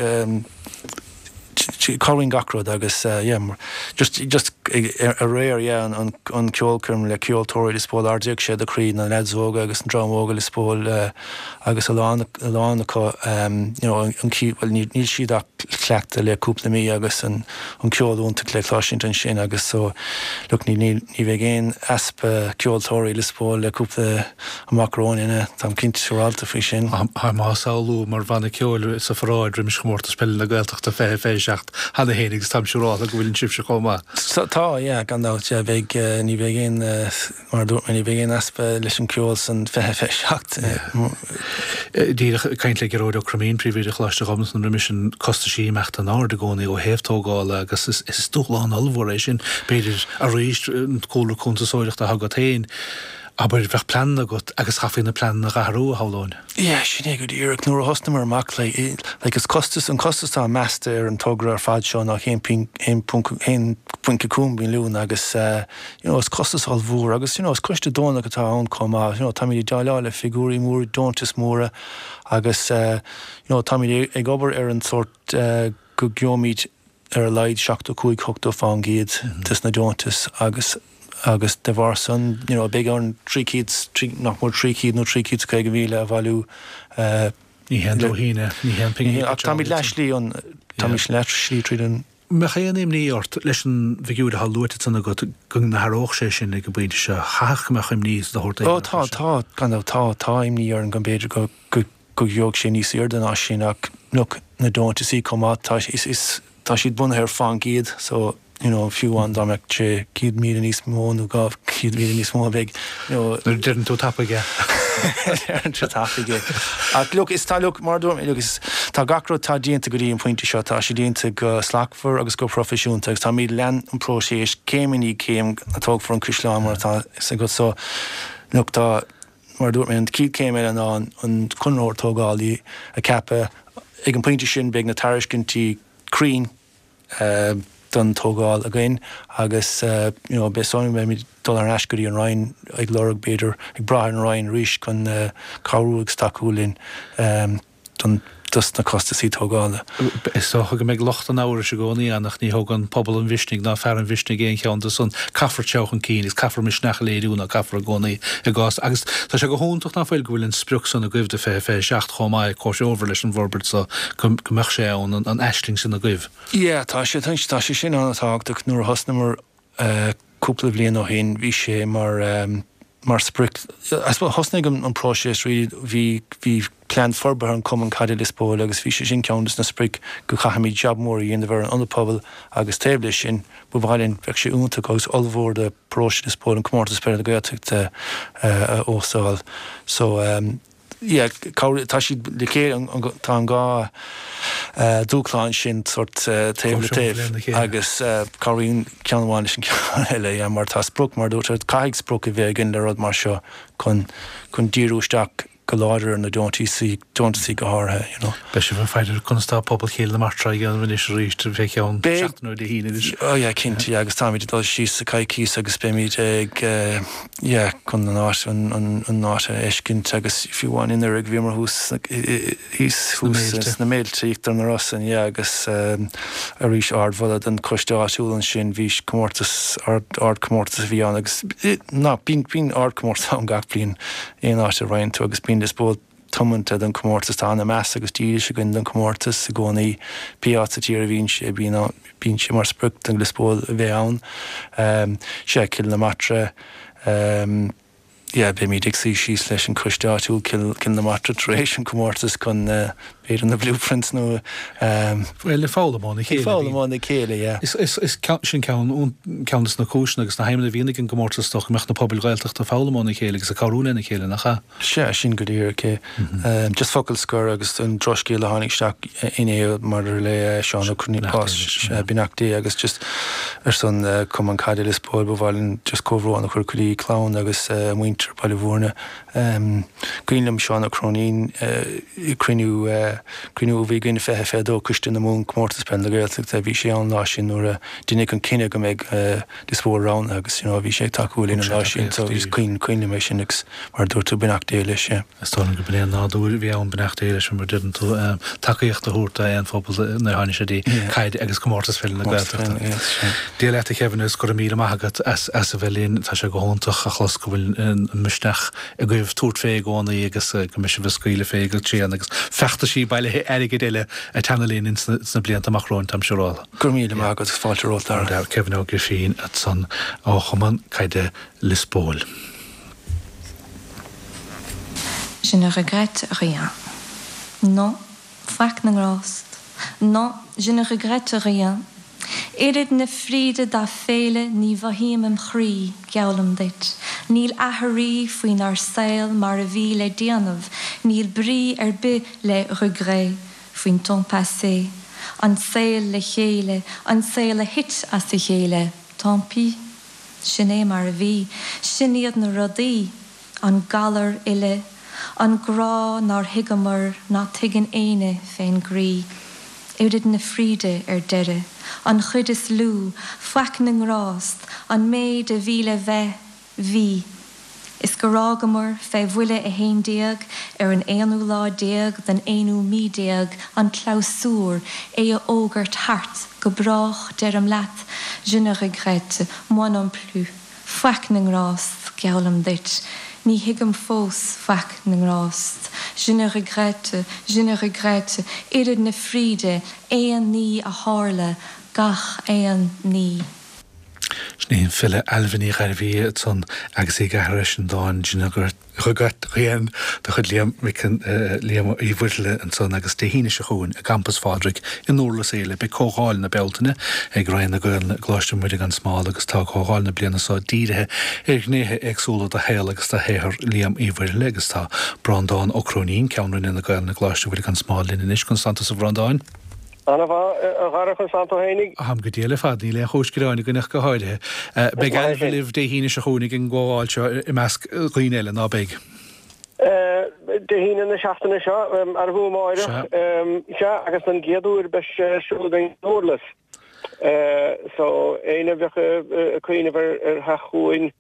Cabhraíonn gach rud agus yeah just just aréir yeah an an ceolchoirm le ceoltóirí Lios Póil ardaíodh sé do chroí na leaids óga agus an dream óga Lios Póil agus a lán a lán acu you know an bhuel níl siad ach cleachtadh le cúpla mí agus an an ceol iontach le cloisint ansin agus so look ní ní ní bheidh aon easpa ceoltóirí Lios Póil le cúpla amach romhainn, táim cinnte siúrálta faoi sin. Táim á samhlú mar bhanna ceoil sa pharáid roimis Chomórtas Peile na Gaeltachta 2027 cheana féin agus táim siúrálta go bhfuil sibhse chomh maith. Tá, yeah, gan dabht, yeah, beidh, ní bheidh aon, mar a dúirt mé, ní bheidh aon easpa leis an gceol san 2027. Díreach ag caint le Gearóid Ó Croimín, Príomhoide Choláiste Ghobnatan roimis sin, costaisí ag imeacht in airde i gcónaí ó thaobh tógála agus is dúshlán ollmhór é sin, b'fhéidir, arís, an cúlra cuntasóireachta atá agat féin. Abair, bheadh pleananna agat agus chaithfí na pleananna a dh'athrú, a shamhlóinn. Yeah, sin é go díreach. Nuair a thosnaíomar amach, like, like is costas, an costas atá measta ar an togra ar fad seo ná 1.5 milliún agus, you know, is costas ollmhór agus, you know, is coiste deonach atá ann chomh maith, you know, táimid ag déileáil le figiúirí móra, deontais móra agus, you know, táimid ag obair ar an sórt go gheobhaimid ar a laghad 75, 80 fán gcéad des na deontais agus agus de bharr san you know beidh orainn 300, nach mór 300 nó 350,000 a bhailiú. Ní haon dóithín é, ní haon phingin ach táimid leath slí an, táimid leath slí tríd an. Mbeadh aon imní ort leis an bhfigiúr atá luaite ansan agat go n-athródh sé sin ag an bpointe seo? Chaithfeadh go mbeadh imní de shórt éigin ort. Ó tá, tá, gan dabht, tá, tá imní orainn go mb'fhéidir go, go, go gheobhadh sé níos airde ná sin ach look na deontaisí chomh maith tá is is tá siad bunaithe ar fán gcéad so you know fiú amháin dá mbeadh sé 100,000 níos mó nó 200,000 níos mó beidh you know Nuair a deireann tú tapaidh é. Deireann tú tapaidh é. Ach look is tá look mar a dúirt mé look is tá gach rud tá déanta go dtí an pointe seo tá sé déanta go slachtmhar agus go proifisiúnta agus táimid lean an próiseas céim i ndiaidh céim tógfar an caisleán mar atá fhios agat so look tá Mar a dúirt mé, an chéad chéim eile ná an conraitheoir tógálaí a cheapadh. Ag an bpointe sin beidh na tairiscintí cruinn don tógáil againn agus you know beidh san beimid ag dul ar ais go dtí an Roinn ag lorg b'fhéidir ag brath ar an Roinn arís chun cabhrú agus tacú linn. don dos na costasaí tógála. Is dócha go mbeidh lucht an amhrais i gcónaí ann ach ní thógann pobal an mhisnigh ná fear an mhisnigh aon cheann de san. Caithfear téamh chun cinn agus caithfear misneach a léiriú ná caithfear i gcónaí i gcás agus tá sé go hiontach ná fuil go bhfuil an sprioc san agaibh do 2027 chomh maith, comhthreomhar leis an bhforbairt so go mbeadh sé ann, an aisling sin agaibh. Yeah, tá sé, tá sé sin an-tábhachtach. Nuair a thosnamar cúpla bliain ó shin bhí sé mar mar sprioc. I suppose thosnaigh an próiseas really, bhí bhí plean forbartha an Cumann Caide Lios Póil agus bhí sé sin ceann des na sprioc go chaithfimid jab mór a dhéanamh ar an ionad pobail agus taobh leis sin ba mhaith linn, bheadh sé iontach agus ollmhór do paróiste Lios Póil an Comórtas Peile na Gaeltachta a óstáil. So. Yeah, tá siad le chéile, tá an dá dúshlán sin sórt taobh le taobh agus cabhraíonn ceann amháin leis an ceann eile, yeah, mar tá sprioc, mar a dúirt tú, caithfidh sprioc a bheith againn le rud mar seo chun chun díriú isteach go láidir ar na deontaisí, deontaisí go háirithe, you know. Beidh sibh ag faire ar conas tá pobal Chill na Martra á dhéanamh anois arís fé cheann seachtaine ó Dé hAoine anois. Oh yeah, cinnte, yeah, agus táimid ag dul síos sa coicíos agus beimid ag eh, yeah, chun an áit, an áit a fheiscint agus fiú amháin anuraidh bhíomar thuas thíos thuas sna Méilte, Íochtar na Rosann, yeah, agus arís ardmholadh don choiste áitiúil ansin, bhí comórtas, ardchomórtas a bhí ann agus ná, bíonn, bíonn ardchomórtas ann gach bliain aon áit a raghann tú agus bíonn Lios Póil tiomanta don chomórtas, tá an-mheas agus dílis againn don chomórtas i gcónaí, pé áit sa tír a bhíonn sé, bíonn bíonn sé mar sprioc do Lios Póil a bheith ann. Sea, Cill na Martra, yeah, beimid ag suí síos leis an choiste áitiúil Cill Cill na Martra tar éis an chomórtais chun b'fhéidir na blueprints nó. Bhuel, ag foghlaim óna chéile. Ag foghlaim óna chéile, yeah. Is is is sin ceann ceann de na cúiseanna agus na haidhmeanna a bhíonn ag an gcomórtas is dócha go mbeadh na pobail Ghaeltachta ag foghlaim óna chéile agus ag cabhrú lena chéile, nach ea? Sea, sin go díreach é. Just focal scoir agus an drochscéal a tháinig isteach inné maidir le Seán Ó Cróinín, bás, beannacht Dé agus just ar son Cumann Caide Lios Póil ba mhaith linn just comhbhrón a chur go dtí clann agus muintir Baile Bhúirne. Cuimhin liom Seán Ó Cróinín cruinniú cruinniú a bhí againn 2022 Coiste na Mumhan Comórtas Peile na Gaeltachta bhí sé ann lá sin nuair a deineadh an cinneadh go mbeadh Lios Póil roghnaithe agus you know bhí sé ag tacú linn an lá sin so is cuimhin liom é sin agus mar a dúirt tú beannacht Dé leis yeah. Is dóigh liom go b'in é an nádúr a bhí ann beannacht Dé leis mar a deireann tú tacaíocht a thabhairt d'aon phobal nuair a tháinig sé dtí caid agus comórtas peile na Gaeltachta. Dia leat a Kevin agus go raibh míle maith agat as as a bheith linn. Tá sé go hiontach a chlos go bhfuil an misneach agaibh tabhairt fé i gcónaí agus go mbeidh sibh ag scaoileadh fé go tréan agus feachtaisí bailithe airgid eile ag teannadh linn ins na blianta amach romhainn táim siúráilte. Go raibh míle maith agat agus fáilte romhat Dara. Kevin Ó Grifín ansan ó Chumann Caide Lios Póil. Je ne regrette rien. Non, faic na ngrást. Non, je ne regrette rien. Oiread na fríde dá féile ní mhothaím im chroí, geallaim duit. Níl aithrí faoinár saol mar a bhí le déanamh, níl brí ar bith le regret. faoin temps passé, an saol le chéile, an saol a thit as a chéile, tant pis. Sin é mar a bhí, sin iad na rudaí, an galar uile, an grá nár thuigeamar, ná tuigeann éinne fén gcroí. Oiread na fríde ar deireadh, an chuid is lú, faic na ngrást, an méid a bhí le bheith, Bhí. Is gur fhágamar fé bhuille a 11 ar an aonú lá déag den aonú mí déag an clabhsúr, é a fhógairt thart, go brách, deirim leat, je ne regrette, moi non plus, faic na ngrást, geallaim duit, ní thuigim fós faic na ngrást, je ne regrette, je ne regrette, oiread na fríde, aon ní a tharla, gach aon ní. Sin í an file Ailbhe Ní Ghairbhí ansan agus í ag aithris an dáin Je ne regrette rien de chuid Liam Mhic Liam Uí Mhuirthile ansan agus Dé hAoine seo chugainn i gCampas Phádraig i nDurlas Éile beidh Comhdháil na Bealtaine ag Roinn na Gaelainne i gColáiste Mhuire gan Smál agus tá Comhdháil na bliana seo dírithe ar ghnéithe éagsúla de shaol agus de shaothar Liam Uí Mhuirthile agus tá Breandán Ó Cróinín, Ceann Roinne na Gaelainne i gColáiste Mhuire gan Smál linn anois. Conas tánn tusa a Bhreandáin? Ana mhaith, a Dhara, conas tánn tú fhéinig? Táim go diail ar fad, níl aon chúis gearáin againn ach go háirithe. Beidh Ailbhe libh Dé hAoine seo chugainn ag an gcomhdháil seo i measc dhaoine eile, ná beidh? Dé hAoine na seachtaine seo, arbh fhiú amáireach? Sea, agus don gcéad uair beidh sé ar siúl againn i nDurlas. So, éinne a bheadh ag cuimhneamh ar theacht chugainn,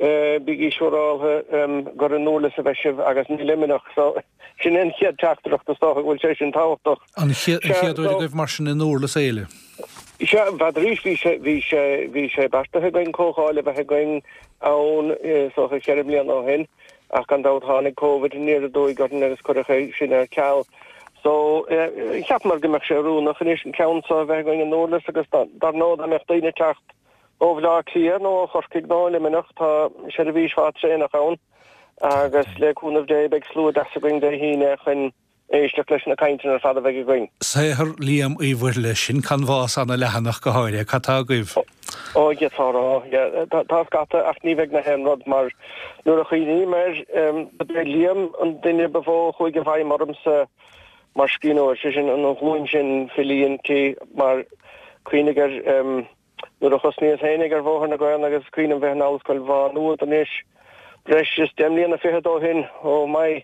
Bígí siúráltha gur i nDurlas a bheidh sibh agus ní i Luimneach. So, sin é an chéad teachtaireacht, is dócha go bhfuil sé sin tábhachtach. An chéad uair agaibh mar sin i nDurlas Éile? Sea, b'fheadar bhí sé, bhí sé, bhí sé beartaithe againn comhdháil a bheith againn ann, is dócha cheithre bliana ó shin, ach gan dabht tháinig Covid aniar aduaidh orainn agus cuireadh é sin ar ceal. So, cheapamar go mbeadh sé oiriúnach anois an ceann seo a bheith againn i nDurlas agus dar ndóigh dá mbeadh daoine ag teacht Ó Bhaile Átha Cliath nó ó Chorcaigh nó ó Luimneach tá seirbhís mhaith traenach ann agus le cúnamh Dé beidh slua deas againn Dé hAoine chun éisteacht leis na cainteanna ar fad a bheidh againn. Saothar Liam Uí Mhuirthile, sin canbhás ana leathanach go háirithe. Cad tá agaibh? Ó, d'fhéadfá a rá, yeah. Tá scata ach ní bheidh na haon rud mar nuair a chuimhním air, ba é Liam an duine ba mhó a chuaigh i bhfeidhm ormsa mar scríbhneoir, sé sin an ghlúin sin filí inti mar cuimhnigh air nuair a thosnaíos féinig ar bhóthar na Gaelainne agus cuimhním bheith in Ollscoil Mhá Nuad anois breis is deich mbliana fichead ó shin, oh my,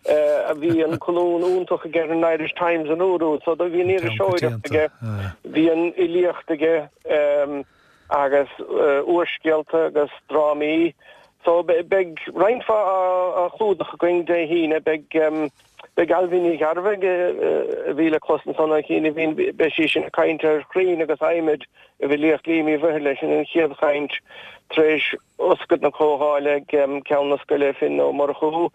a bhí an colún iontach aige ar an Irish Times an uair úd, so bhí an iriseoireacht aige, bhí an fhilíocht aige agus úrscéalta agus drámaí. So beidh roinnt mhaith á chlúdach againn Dé hAoine, beidh. Beidh Ailbhe Ní Ghearbhuigh, a bhí le clos ansan an chianaibhín, beidh sí sin ag caint ar chrainn agus adhmaid i bhfilíocht Liam Uí Mhuirthile, sin an chéad chaint tar éis oscailt na comhdhála ag Ceann na Scoile, Finn Ó Murchú.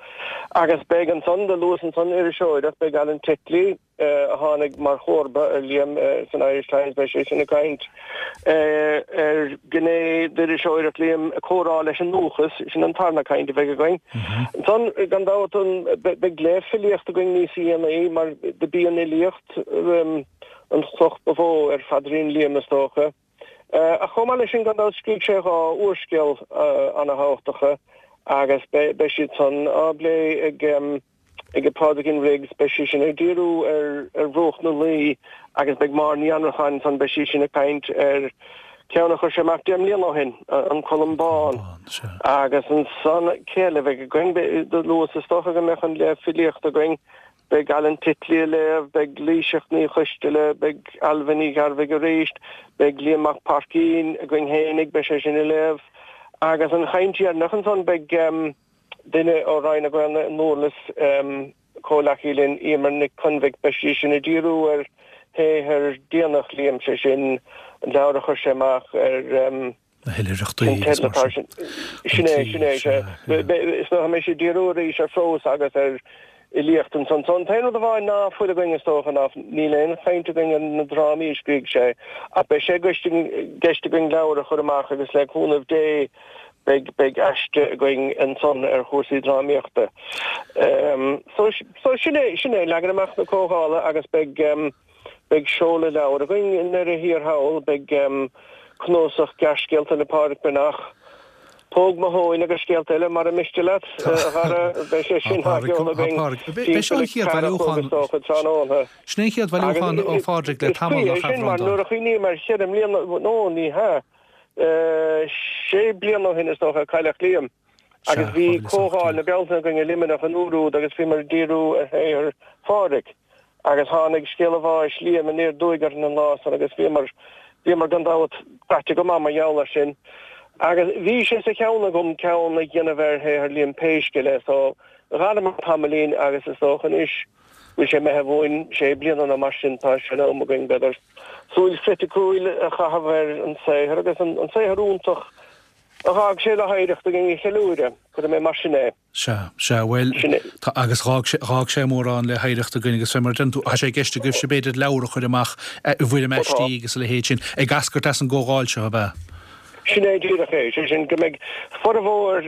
Agus beidh ansan, do luas ansan iriseoireacht, beidh Alan Titley, a tháinig mar chomharba ar Liam san Irish Times, beidh sé sin ag caint ar ghné d'iriseoireacht Liam, comhrá leis an ndúchas, sin an tarna caint a bheidh againn. Ansan, gan dabht, beidh léamh filíochta againn níos dhéanaí mar do b'í an fhilíocht an chloch ba mhó ar phaidrín Liam is dócha. Ach chomh maith leis sin, gan dabht, scrígh sé dha úrscéal ana-thábhachtacha agus beidh siad san á bplé ag ag Pádraigín Riggs, beidh sí sin ag díriú ar Bhruach na Laoi agus beidh Máire Ní Annracháin ansan, beidh sí sin ag caint ar ceann a chuir sé amach 10 mbliana ó shin, An Colm Bán. Agus ansan, cé eile a bheidh againn? Do luas is dócha go mbeadh an léamh filíochta againn, beidh Alan Titley ag léamh, beidh Laoighseach Ní Choisteala, beidh Ailbhe Ní Ghearbhuigh arís, beidh Liam Mac Paircín againn fhéinig, beidh sé sin ag léamh. Agus an chaint dheireanach ansan, beidh. Duine ó Roinn na Gaelainne i nDurlas, comhleacaí linn, Emer Nic Conmhaigh, beidh sí sin ag díriú ar shaothar déanach Liam, sé sin an leabhar a chuir sé amach ar Na hoilithreachtaí agus mar sin. Sin é, sin é, sea. Is dócha go mbeidh sí ag díriú arís ar phrós agus ar fhilíocht ansan. So an t-aon rud amháin ná fuil againn is dócha ná níl aon chaint againn ar na drámaí a scrígh sé ach beidh sé i gceist againn leabhar a chur amach agus le cúnamh Dé beidh beidh aiste againn ansan ar chúrsaí drámaíochta. So so sin é sin é leagan amach na comhdhála agus beidh beidh seoladh leabhar againn i ndeireadh thiar thall, beidh cnuasach gearrscéalta le Pádraic Breathnach, Póg mo thóin agus scéalta eile, mara miste leat, a Dhara, beidh sé sin á sheoladh againn timpeall a ceathair a chlog is dócha tráthnóna. Sin é an chéad bhailiúchán ó Phádraic le tamall, nach ea, a Bhreandáin? Nuair a chuimhním ar cheithre mbliana, nó ní hea, sé bliana ó shin is dócha a cailleadh Liam. Agus bhí Comhdháil na Bealtaine againn i Luimneach an uair úd agus bhíomar ag díriú ar shaothar Phádraig. Agus tháinig scéala bháis Liam aniar aduaidh orainn an lá san agus bhíomar, bhíomar gan dabht craite go maith mar gheall air sin. Agus bhí sé sa cheann agam ceann a dhéanamh ar shaothar Liam pé scéal é so dh'fhanamar tamaillín agus is dócha anois go bhfuil sé imithe uainn sé bliana nó mar sin tá sé in am againn b'fhéidir súil chriticiúil a chaitheamh ar an saothar agus an saothar iontach a dh'fhág sé le hoidhreacht againn a cheiliúradh, cuirfidh mé mar sin é. Sea, sea, bhuel, tá, agus dh'fhág sé, dh'fhág sé mórán le hoidhreacht againn agus fé mar a deireann tú, tá sé i gceist agaibhse b'fhéidir leabhar a chur amach i bhfoirm aistí agus a leithéid sin, ag eascairt as an gcomhdháil seo, ab ea? Sin é díreach é, sé sin go mbeidh formhór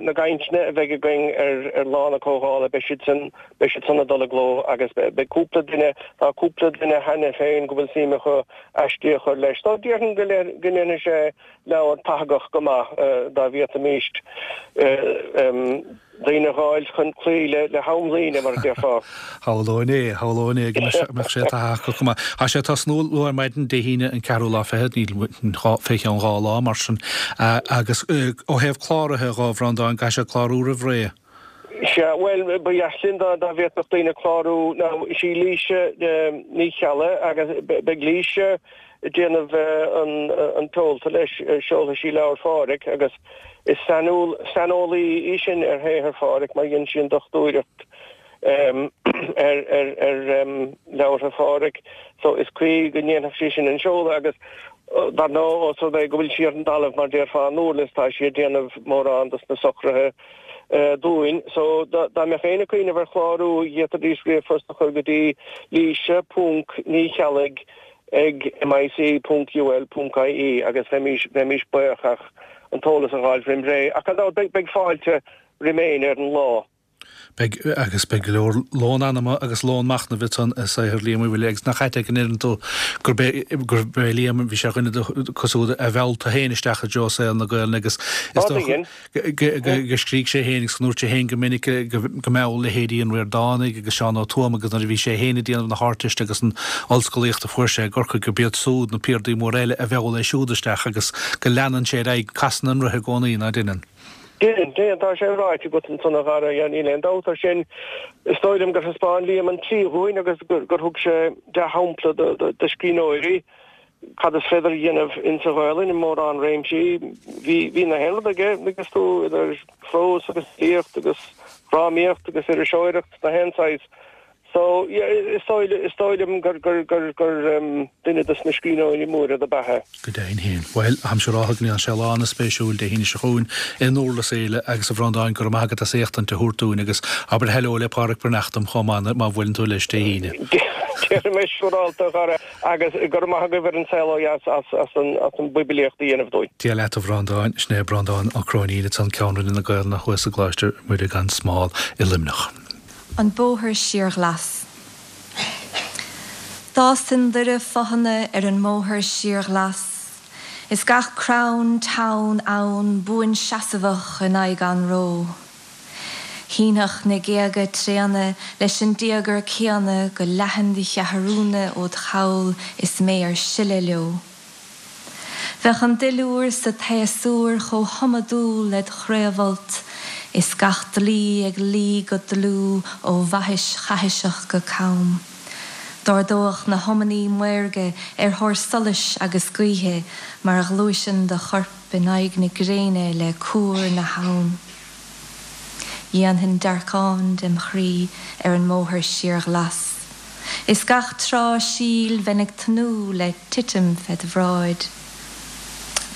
na gcainteanna a bheidh againn ar ar lá na comhdhála, beidh siad san, beidh siad san ag dul i gcló agus beidh cúpla duine, tá cúpla duine cheana féin go bhfuil suim acu aistí a chur leis. So déarfainn go ndéanfaidh sé leabhar tathagach go maith dá bhféadfaimíst daoine a dh'fháil chun cloí le hamlíne, mar a déarfá. Shamhlóinn é, shamhlóinn é go mbeadh sé tathagach go maith. Tá sé ag tosnú luath ar maidin Dé hAoine an ceathrú lá fichead, níl fé cheann dhá lá mar sin, agus ó thaobh cláraithe dhó, a Bhreandáin, caithfidh siad clárú roimh ré. Sea, bhuel, ba dheas linn dá bhféadfadh daoine clárú. Now, is í Laoise Ní Cheallaigh agus beidh Laoise ag déanamh an tseolta leis, seolfaidh sí leabhar Phádraic agus is saineolaí í sin ar shaothar Phádraic mar dhein sí an dochtúireacht ar leabhartha Phádraic so is cuí go ndéanfadh sí sin an seoladh agus dar ndóigh os rud é go bhfuil sí ar an dtalamh mar déarfá i nDurlas tá sí ag déanamh mórán dos na socruithe dúinn. So, dá mbeadh éinne ag cuimhneamh ar chlárú, d'fhéadfaidís ríomhphost a chur go dtí Laoise ponc Ní Cheallaigh ag mic ponc ul ponc ie agus bheimís, bheimís buíoch ach an t-eolas a dh'fháil roim ré. Ach gan dabht, beidh, beidh fáilte roim éinne ar an lá. Beidh, agus beidh go leor lón anama agus lón machnaimh ansan i saothar Liam Uí Mhuirthile agus nach ait é go ndeireann tú gurb é, gurb é Liam, bhí sé ar dhuine acu siúd a mheall tú féin isteach i dtreo saol na Gaelainne agus is dócha go scrígh sé féin agus go ndúirt sé féin go minic go mheall leithéidí an Ríordánaigh agus Seán Ó Tuama agus nuair a bhí sé féin ag déanamh na hArdteiste agus an ollscolaíocht a fuair sé i gCorcaigh gurb iad súd na piardaí móra eile a mheall é siúd isteach agus go leanann sé ar aghaidh, casann an roth i gcónaí, ná deineann? Déan, déan, tá sé ráite agat ansan a Dhara, yeah, níl aon dabht ar sin. Is dóigh liom gur thaispeáin Liam an tslí dhúinn agus gur thug sé dea-shampla do scríbhneoirí cad is féidir a dhéanamh insa Ghaelainn i mórán réimsí. Bhí, bhí na haon rud aige, agus tú, idir phrós agus fhilíocht agus dhrámaíocht agus iriseoireacht, na haon saghas. So, yeah, is dóigh, is dóigh liom gur, gur, gur, gur duine dos na scríbhneoirí móra do b'ea é. Go deimhin féin. Bhuel, táimse ag rá go ndéanfaidh sé lá ana-spéisiúil Dé hAoine seo chugainn i nDurlas Éile agus a Bhreandáin, go raibh maith agat as éachtaint a thabhairt dúinn agus abair hello le Pádraic Breathnach dom chomh maith má bhuaileann tú leis Dé hAoine. Déarfaidh mé siúrálta, a Dhara, agus go raibh maith agaibh ar An Saol Ó Dheas as, as an, as an bpoiblíocht a dhéanamh dúinn. Dia leat a Bhreandáin, sin é Breandán Ó Cróinín ansan, Ceann Roinne na Gaelainne thuas i gColáiste Mhuire gan Smál i Luimneach. An Bóthar Síorghlas. D'fhásfainn doire fothana ar an mbóthar síorghlas, is gach crann teann ann buanseasmhach in aghaidh anró. Shínfeadh na géaga tréana leis an dtíogar céanna go leathan do cheathrúna ód chabhail is mé ar sileadh leo. Bheadh an duilliúr sa tséasúr chomh hiomadúil led chraobhfholt, is gach dlaoi ag luí go dlúth ó bhaithis chaithiseach go cam. D'ardódh na hiomannaí maorga ar thóir solais agus gaoithe mar a ghluaiseann do chorp in aghaidh na gréine le cuar na habhann. Dhéanfainn dearcán dem chroí ar an mbóthar síorghlas. Is gach tráth síl bheinn ag tnúth le titim fed bhráid.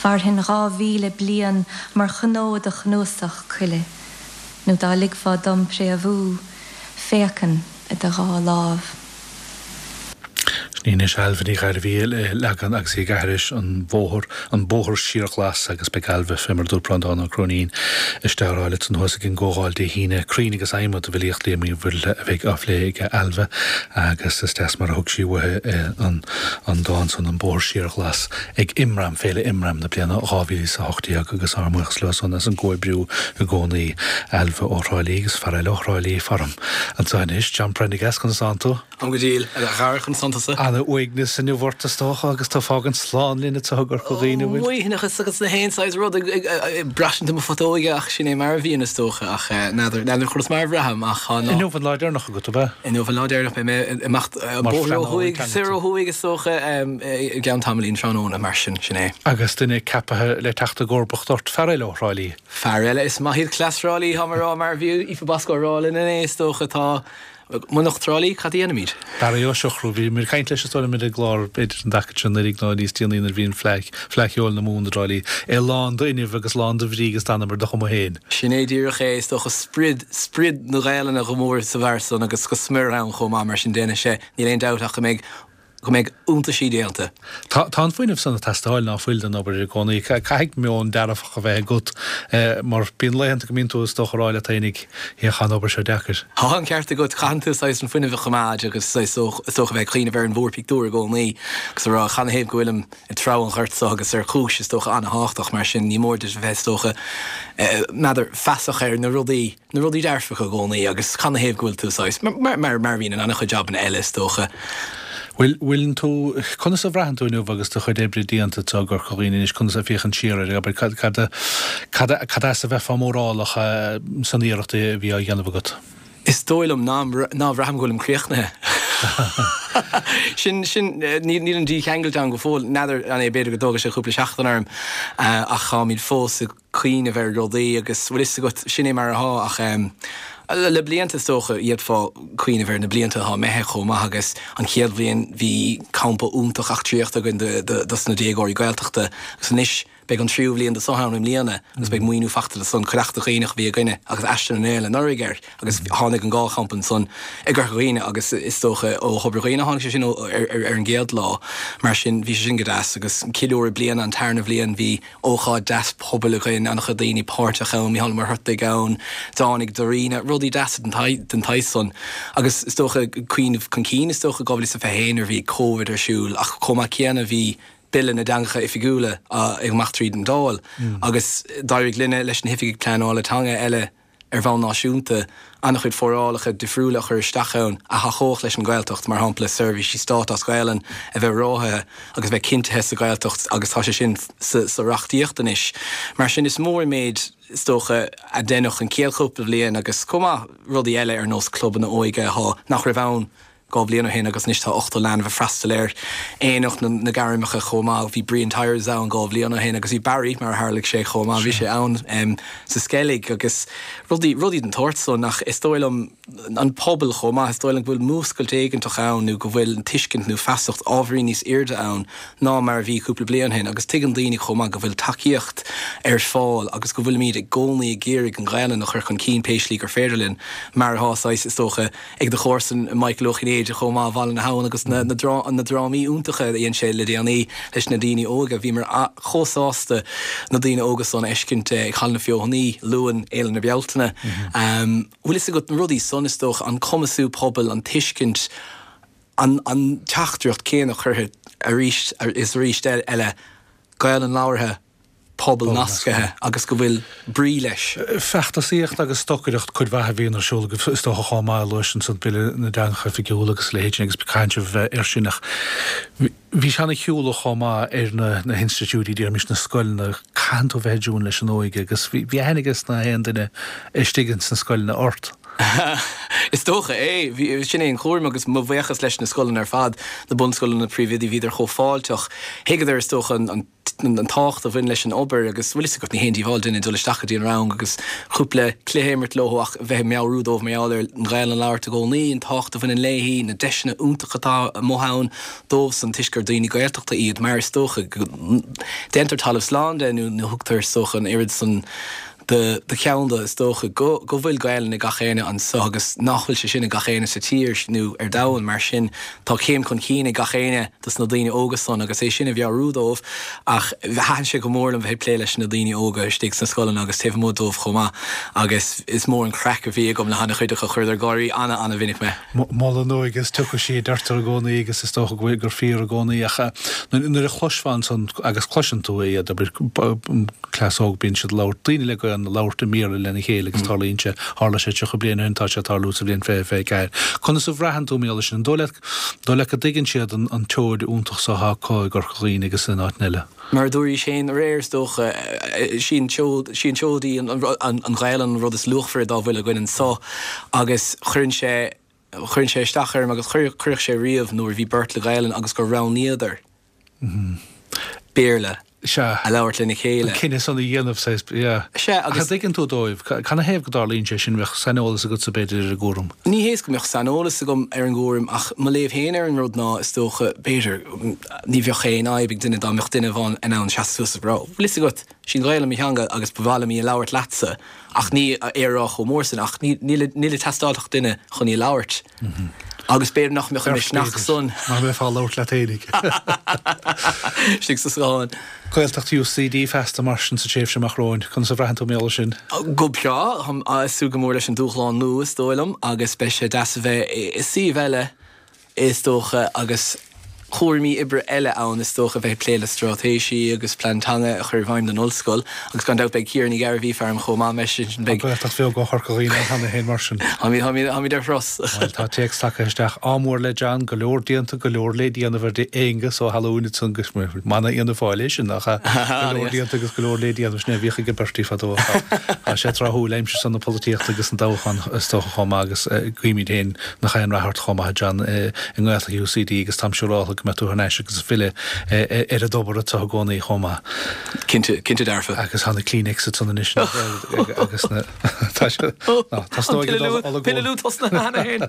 Mhairfinn 2000 bliain mar chnó i do chnuasach coille, nó dá ligfeá dom préamhú, phéacfainn i do dhá lámh. Sin í anois Ailbhe Ní Ghairbhí le leagan agus í ag aithris an bhóthar, an bóthar síorghlas agus beidh Ailbhe, fé mar a dúirt Breandán Ó Cróinín, istigh á rá leat san thuas ag an gcomhdháil Dé hAoine, crainn agus adhmad i bhfilíocht Liam Uí Mhuirthile a bheidh á phlé ag Ailbhe agus is deas mar a thug sí uaithi an an dán san, An Bóthar Síorghlas, ag Imram, Féile Imram na bliana 2018 agus ár mbuíochas leo san as an gcomhoibriú i gcónaí. Ailbhe ó Thrá Lí agus fear eile ó Thrá Lí faram anseo anois, John Prendergast, conas tánn tú? Táim go diail, a Dhara, conas tánn tusa? Ana uaigneas inniu ort is dócha agus tú ag fágaint slán linn anseo i gCorca Dhuibhne, an bhfuil? Maoithneachas agus na haon saghas rud ag braistint i mo phutóige ach sin é mar a bhíonn is dócha ach n'fheadar, n'fheadar conas mar a bhraithim ach tá an. Inniu an lá deireanach agat, ab ea? Inniu an lá deireanach, beidh mé ag imeacht bóthar ó thuaidh, soir ó thuaidh is dócha i gceann tamaillín tráthnóna mar sin, sin é. Agus duine ceapaithe le teacht i gcomharbacht ort, fear eile ó Thrá Lí. Fear eile, is maith iad cleas Thrá Lí, táim ag rá, mar a bhí Aoife Bosco ag rá linn inné is dócha, tá. Munach Trá Lí, cad a dhéanfaimid? Barry Ó Siochrú, bhí muid ag caint leis is dóigh liom ar an gclár, b'fhéidir an dtaca seo anuraidh nó níos déanaí nuair a bhí an Fleadh, Fleadh Cheoil na Mumhan i dTrá Lí, é lán d'fhuinneamh agus lán de bhrí agus d'anam ar do chuma féin. Sin é díreach é, is dócha, sprid, sprid na Gaelainne go mór sa bhfear san agus go smior ann chomh maith, mar sin déanfaidh sé, níl aon dabht ach go mbeidh, go mbeidh iontaisí déanta. Tá an fuinneamh san ag teastáil, ná fuil, don obair i gcónaí. Caithfidh meon dearfach a bheith agat mar bíonn laethanta go mbíonn tú is dócha ag rá leat fhéinig, féach tá an obair seo deacair. Tá an ceart agat, caitheann tú saghas an fuinneamh a choimeád agus is dócha a bheith ag cuimhneamh ar an mhórphictiúr i gcónaí agus a rá canathaobh go bhfuilim ag treabhadh an ghoirt seo agus ar chúis is dócha an-thábhachtach mar sin ní mór duit a bheith is dócha n'fheadar feasach ar na rudaí na rudaí dearfacha i gcónaí agus canathaobh go bhfuil tú saghas, mar, mar, mar a bhíonn in an-chuid jabanna eile is dócha. Bhfuil, bhfuileann tú, conas a bhraitheann tú inniu agus do chuid oibre déanta anseo i gCorca Dhuibhne anois, conas a féachann siar air, abair, cad, cad a, cad a, cad as a bheifeá mórálach san iarracht a bhí á dhéanamh agat? Is dóigh liom ná, ná bhraithim go bhfuilim críochnaithe. Sin, sin, níl, níl an dícheangailt ann go fóill, n'fheadar an é, b'fhéidir go dtógfaidh sé cúpla seachtain orm ach táimid fós ag, cuimhneamh ar rudaí agus bhfuil fhios agat, sin é mar atá ach le blianta is dócha, d'fhéadfá cuimhneamh ar na blianta atá imithe chomh maith agus an chéad bhliain bhí campa iontach eachtraíochta againn dos na déagóirí Gaeltachta agus anois. Beidh an tríú bhliain de so ann i mbliana agus beidh maoiniú fachta do san. Cuideachta Dhuibhneach a bhí againne agus Aistear na nGael anuraidh air agus tháinig an Gaelchampa ansan i gCorca Dhuibhne agus is dócha ó Thobar Dhuibhne a tháinig sé sin ar an gcéad lá. Mar sin bhí sé sin go deas agus ceiliúradh bliana an tarna bhliain bhí ócáid deas pobail againn, an-chuid daoine páirteach ann, Mícheál Ó Muircheartaigh ann, dtáinig Dairena, rudaí deasa den tsaghas san. Agus is dócha cuimhneamh chun cinn is dócha 2021 nuair a bhí Covid ar siúl ach chomh maith céanna bhí Bille na dTeangacha Oifigiúla ag imeacht tríd an Dáil agus d'éirigh linne leis na hoifigigh pleanála teanga eile ar bhonn náisiúnta, an-chuid forálacha difriúla a chur isteach ann a thacódh leis an Ghaeltacht, mar shampla seirbhísí stáit as Gaelainn a bheith ráthaithe agus a bheith cinntithe sa Ghaeltacht agus tá sé sin sa reachtaíocht anois. Mar sin is mór an méid, is dócha, a deineadh an chéad chúpla bhliain agus chomh maith rudaí eile ar nós clubanna óige atá, nach raibh ann 2 bhliain ó shin agus anois tá 80 leanbh ag freastal air. Aonach na nGairmeacha chomh maith. Bhí Brian Tyers ann 2 bhliain ó shin agus bhí Barry, mar a tharlaigh sé chomh maith, bhí sé ann sa Sceilg agus rudaí, rudaí den tsórt san ach is dóigh liom an pobal chomh maith, is dóigh liom go bhfuil múscailt éigeantach ann nó go bhfuil an tuiscint nó feasacht ábhairín níos airde ann ná mar a bhí cúpla bliain ó shin agus tuigeann daoine chomh maith go bhfuil tacaíocht ar fáil agus go bhfuilimid i gcónaí ag iarraidh an Ghaelainn a chur chun cinn pé slí gur féidir linn mar atá saghas, is dócha. ag do chomharsan Michael Ó Cinnéide chomh maith, Bhaile na hAbhann agus na drámaí iontacha a dhein sé le déanaí leis na daoine óga. Bhíomar chomh sásta na daoine óga san a fheiscint ag Halla na Feothanaí, Luan, Fhéile na Bealtaine. Bhfuil fhios agat, na rudaí san is dócha, an cumasú pobail, an tuiscint, an teachtaireacht céanna curtha arís is arís eile, Gaelainn labhartha, pobal nascaithe agus go bhfuil brí leis. Feachtasaíocht agus stocaireacht cuid mhaith a bhíonn ar siúl agaibh is dócha chomh maith, luais ansan Bille na dTeangacha Oifigiúla agus a leithéid sin agus caint a bheith air sin ach bhí sé ana-shiúlach chomh maith ar na na hinstitiúidí, déarfaimis na scoileanna, caitheann tú a bheith i dtiúin leis an óige agus bhí bhí aithne aige sna haon duine istigh ins na scoileanna ort. Is dócha é. Bhí, sin é an cúram agus mo bhuíochas leis na scoileanna ar fad, na bunscoileanna, na príomhoidí, bhíodar chomh fáilteach. Thuigeadar is dócha an an tábhacht a bhain leis an obair agus, bhfuil fhios agat, ní haon díobháil duine dul isteach go dtí an rang agus cúpla cluiche a imirt leo ach bheith ag meabhrú dóibh mar gheall ar an Ghaelainn a labhairt i gcónaí, an tábhacht a bhaineann léi, na deiseanna iontacha atá amuigh ann dóibhsan toisc gur daoine Gaeltachta iad mar is dócha go ndéantar talamh slán de nó nó thugtar is dócha an oiread san do cheann de, is dócha, go go bhfuil Gaelainn ag gach éinne anso agus nach bhfuil sé sin ag gach éinne sa tír nó ar domhan. Mar sin, tá céim chun cinn ag gach éinne dos na daoine óga san agus é sin a mheabhrú dóibh. Ach thaitin sé go mór liom bheith ag plé leis na daoine óga istigh sna scoileanna agus taobh amuigh dóibh chomh maith agus is mór an craic a bhí agam le han-chuid acu. Chuireadar ag gáirí ana-ana-mhinic mé. Mol an óige is tiocfaidh sí, a deirtear i gcónaí agus is dócha go bhfuil gur fíor i gcónaí ach nuair a chloisfeá ansan agus cloiseann tú iad, abair, cleas óg, bíonn siad ag labhairt, daoine le Gaelainn ag labhairt i mBéarla lena chéile agus tarlaíonn sé, tharla sé 30 bliain ó shin, tá sé ag tarlú sa bhliain 2024. Conas a bhraitheann tú mar gheall air sin? An dóigh leat, dóigh leat go dtuigeann siad an tseoid iontach so atá acu i gCorca Dhuibhne agus in áiteanna eile? Mar a dúraís féin aréir, is dócha, sí an tseoid, sí an tseoid í an Ghaelainn an rud is luachmhaire dá bhfuil againn anso agus cuireann sé, cuireann sé isteach orm agus chuirfeadh sé riamh nuair a bhí beirt le Gaelainn agus gur roghnaíodar Béarla a labhairt lena chéile. An cinneadh san a dhéanamh, saghas, yeah. Sea, agus. Ach an dtuigeann tú dóibh, canathaobh go dtarlaíonn sé sin, bheadh saineolas agatsa b'fhéidir ar an gcúram? Ní hé is go mbeadh saineolas agam ar an gcúram ach mo léamh féin ar an rud ná, is dócha, b'fhéidir, ní bheadh aon fhadhb ag duine dá mbeadh duine amháin in ann seasamh suas agus rá, bhfuil fhios agat, sí an Ghaelainn mo theanga agus ba mhaith liom í a labhairt leatsa ach ní é a rá chomh mór sin ach níl ag teastáil ach duine chun í a labhairt. Agus b'fhéidir nach mbeadh an misneach san. Mar bheifeá ag labhairt leat fhéinig. Istigh sa scáthán. Gaeltacht UCD feasta mar sin sa tréimhse amach romhainn. Conas a bhraitheann tú mar gheall air sin? Go breá. Táim ag súil go mór leis an dúshlán nua is dóigh liom agus beidh sé deas a bheith i suíomh eile is dócha, agus cúraimí oibre eile ann, is dócha, bheith ag plé le straitéisí agus plean teanga a chur i bhfeidhm don ollscoil, agus gan dabht beidh Ciara Ní Ghairbhí faram chomh maith, mar sin beidh. Tá Gaeltacht bheag ó Chorca Dhuibhne ann cheana féin, mar sin. Táimid, táimid, táimid ar thuras. Bhuel, tá téacs tagtha isteach. Ádh mór le John, go leor déanta, go leor le déanamh ar Aengus Ó hAlmhain ansan, agus mana Fhianna Fáil é sin, nach ea? Go leor déanta agus go leor le déanamh, sin é a bhíodh ag Bertie fadó. Tá sé tráthúil aimsir san na polaitíochta agus an toghchán is dócha chomh maith agus guímid féin Nach aon rath ort chomh maith, a John, i nGaeltacht UCD agus táim siúráltha. go mbeidh tú thar n-ais agus ag filleadh ar an dtobar anseo i gcónaí chomh maith. Cinnte, cinnte dearfa. Agus tá na Kleenex ansan anois agus na, tá sé, ná, tá stóigh ag dul An pilleadh tosnaithe cheana féin.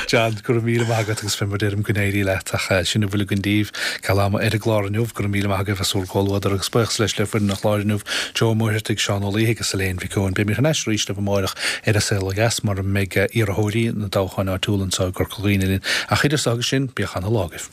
John, go raibh míle maith agat agus fé mar deirim go n-éirí leat ach sin a bhfuil againn daoibh ceal ama ar an gclár inniu. Go raibh míle maith agaibh as bhur gcomhluadar agus buíochas leis le foireann an chláir inniu, Joe Ó Muircheartaigh, Seán Ó Laoithe agus Elaine Mhic Eoin. Beimid thar n-ais arís libh amáireach ar An Saol Ó Dheas mar a mbeidh iarrthóirí na dtoghcháin áitiúla anseo i gCorca Dhuibhne linn. Ach idir so agus sin, bíodh ana lá agaibh.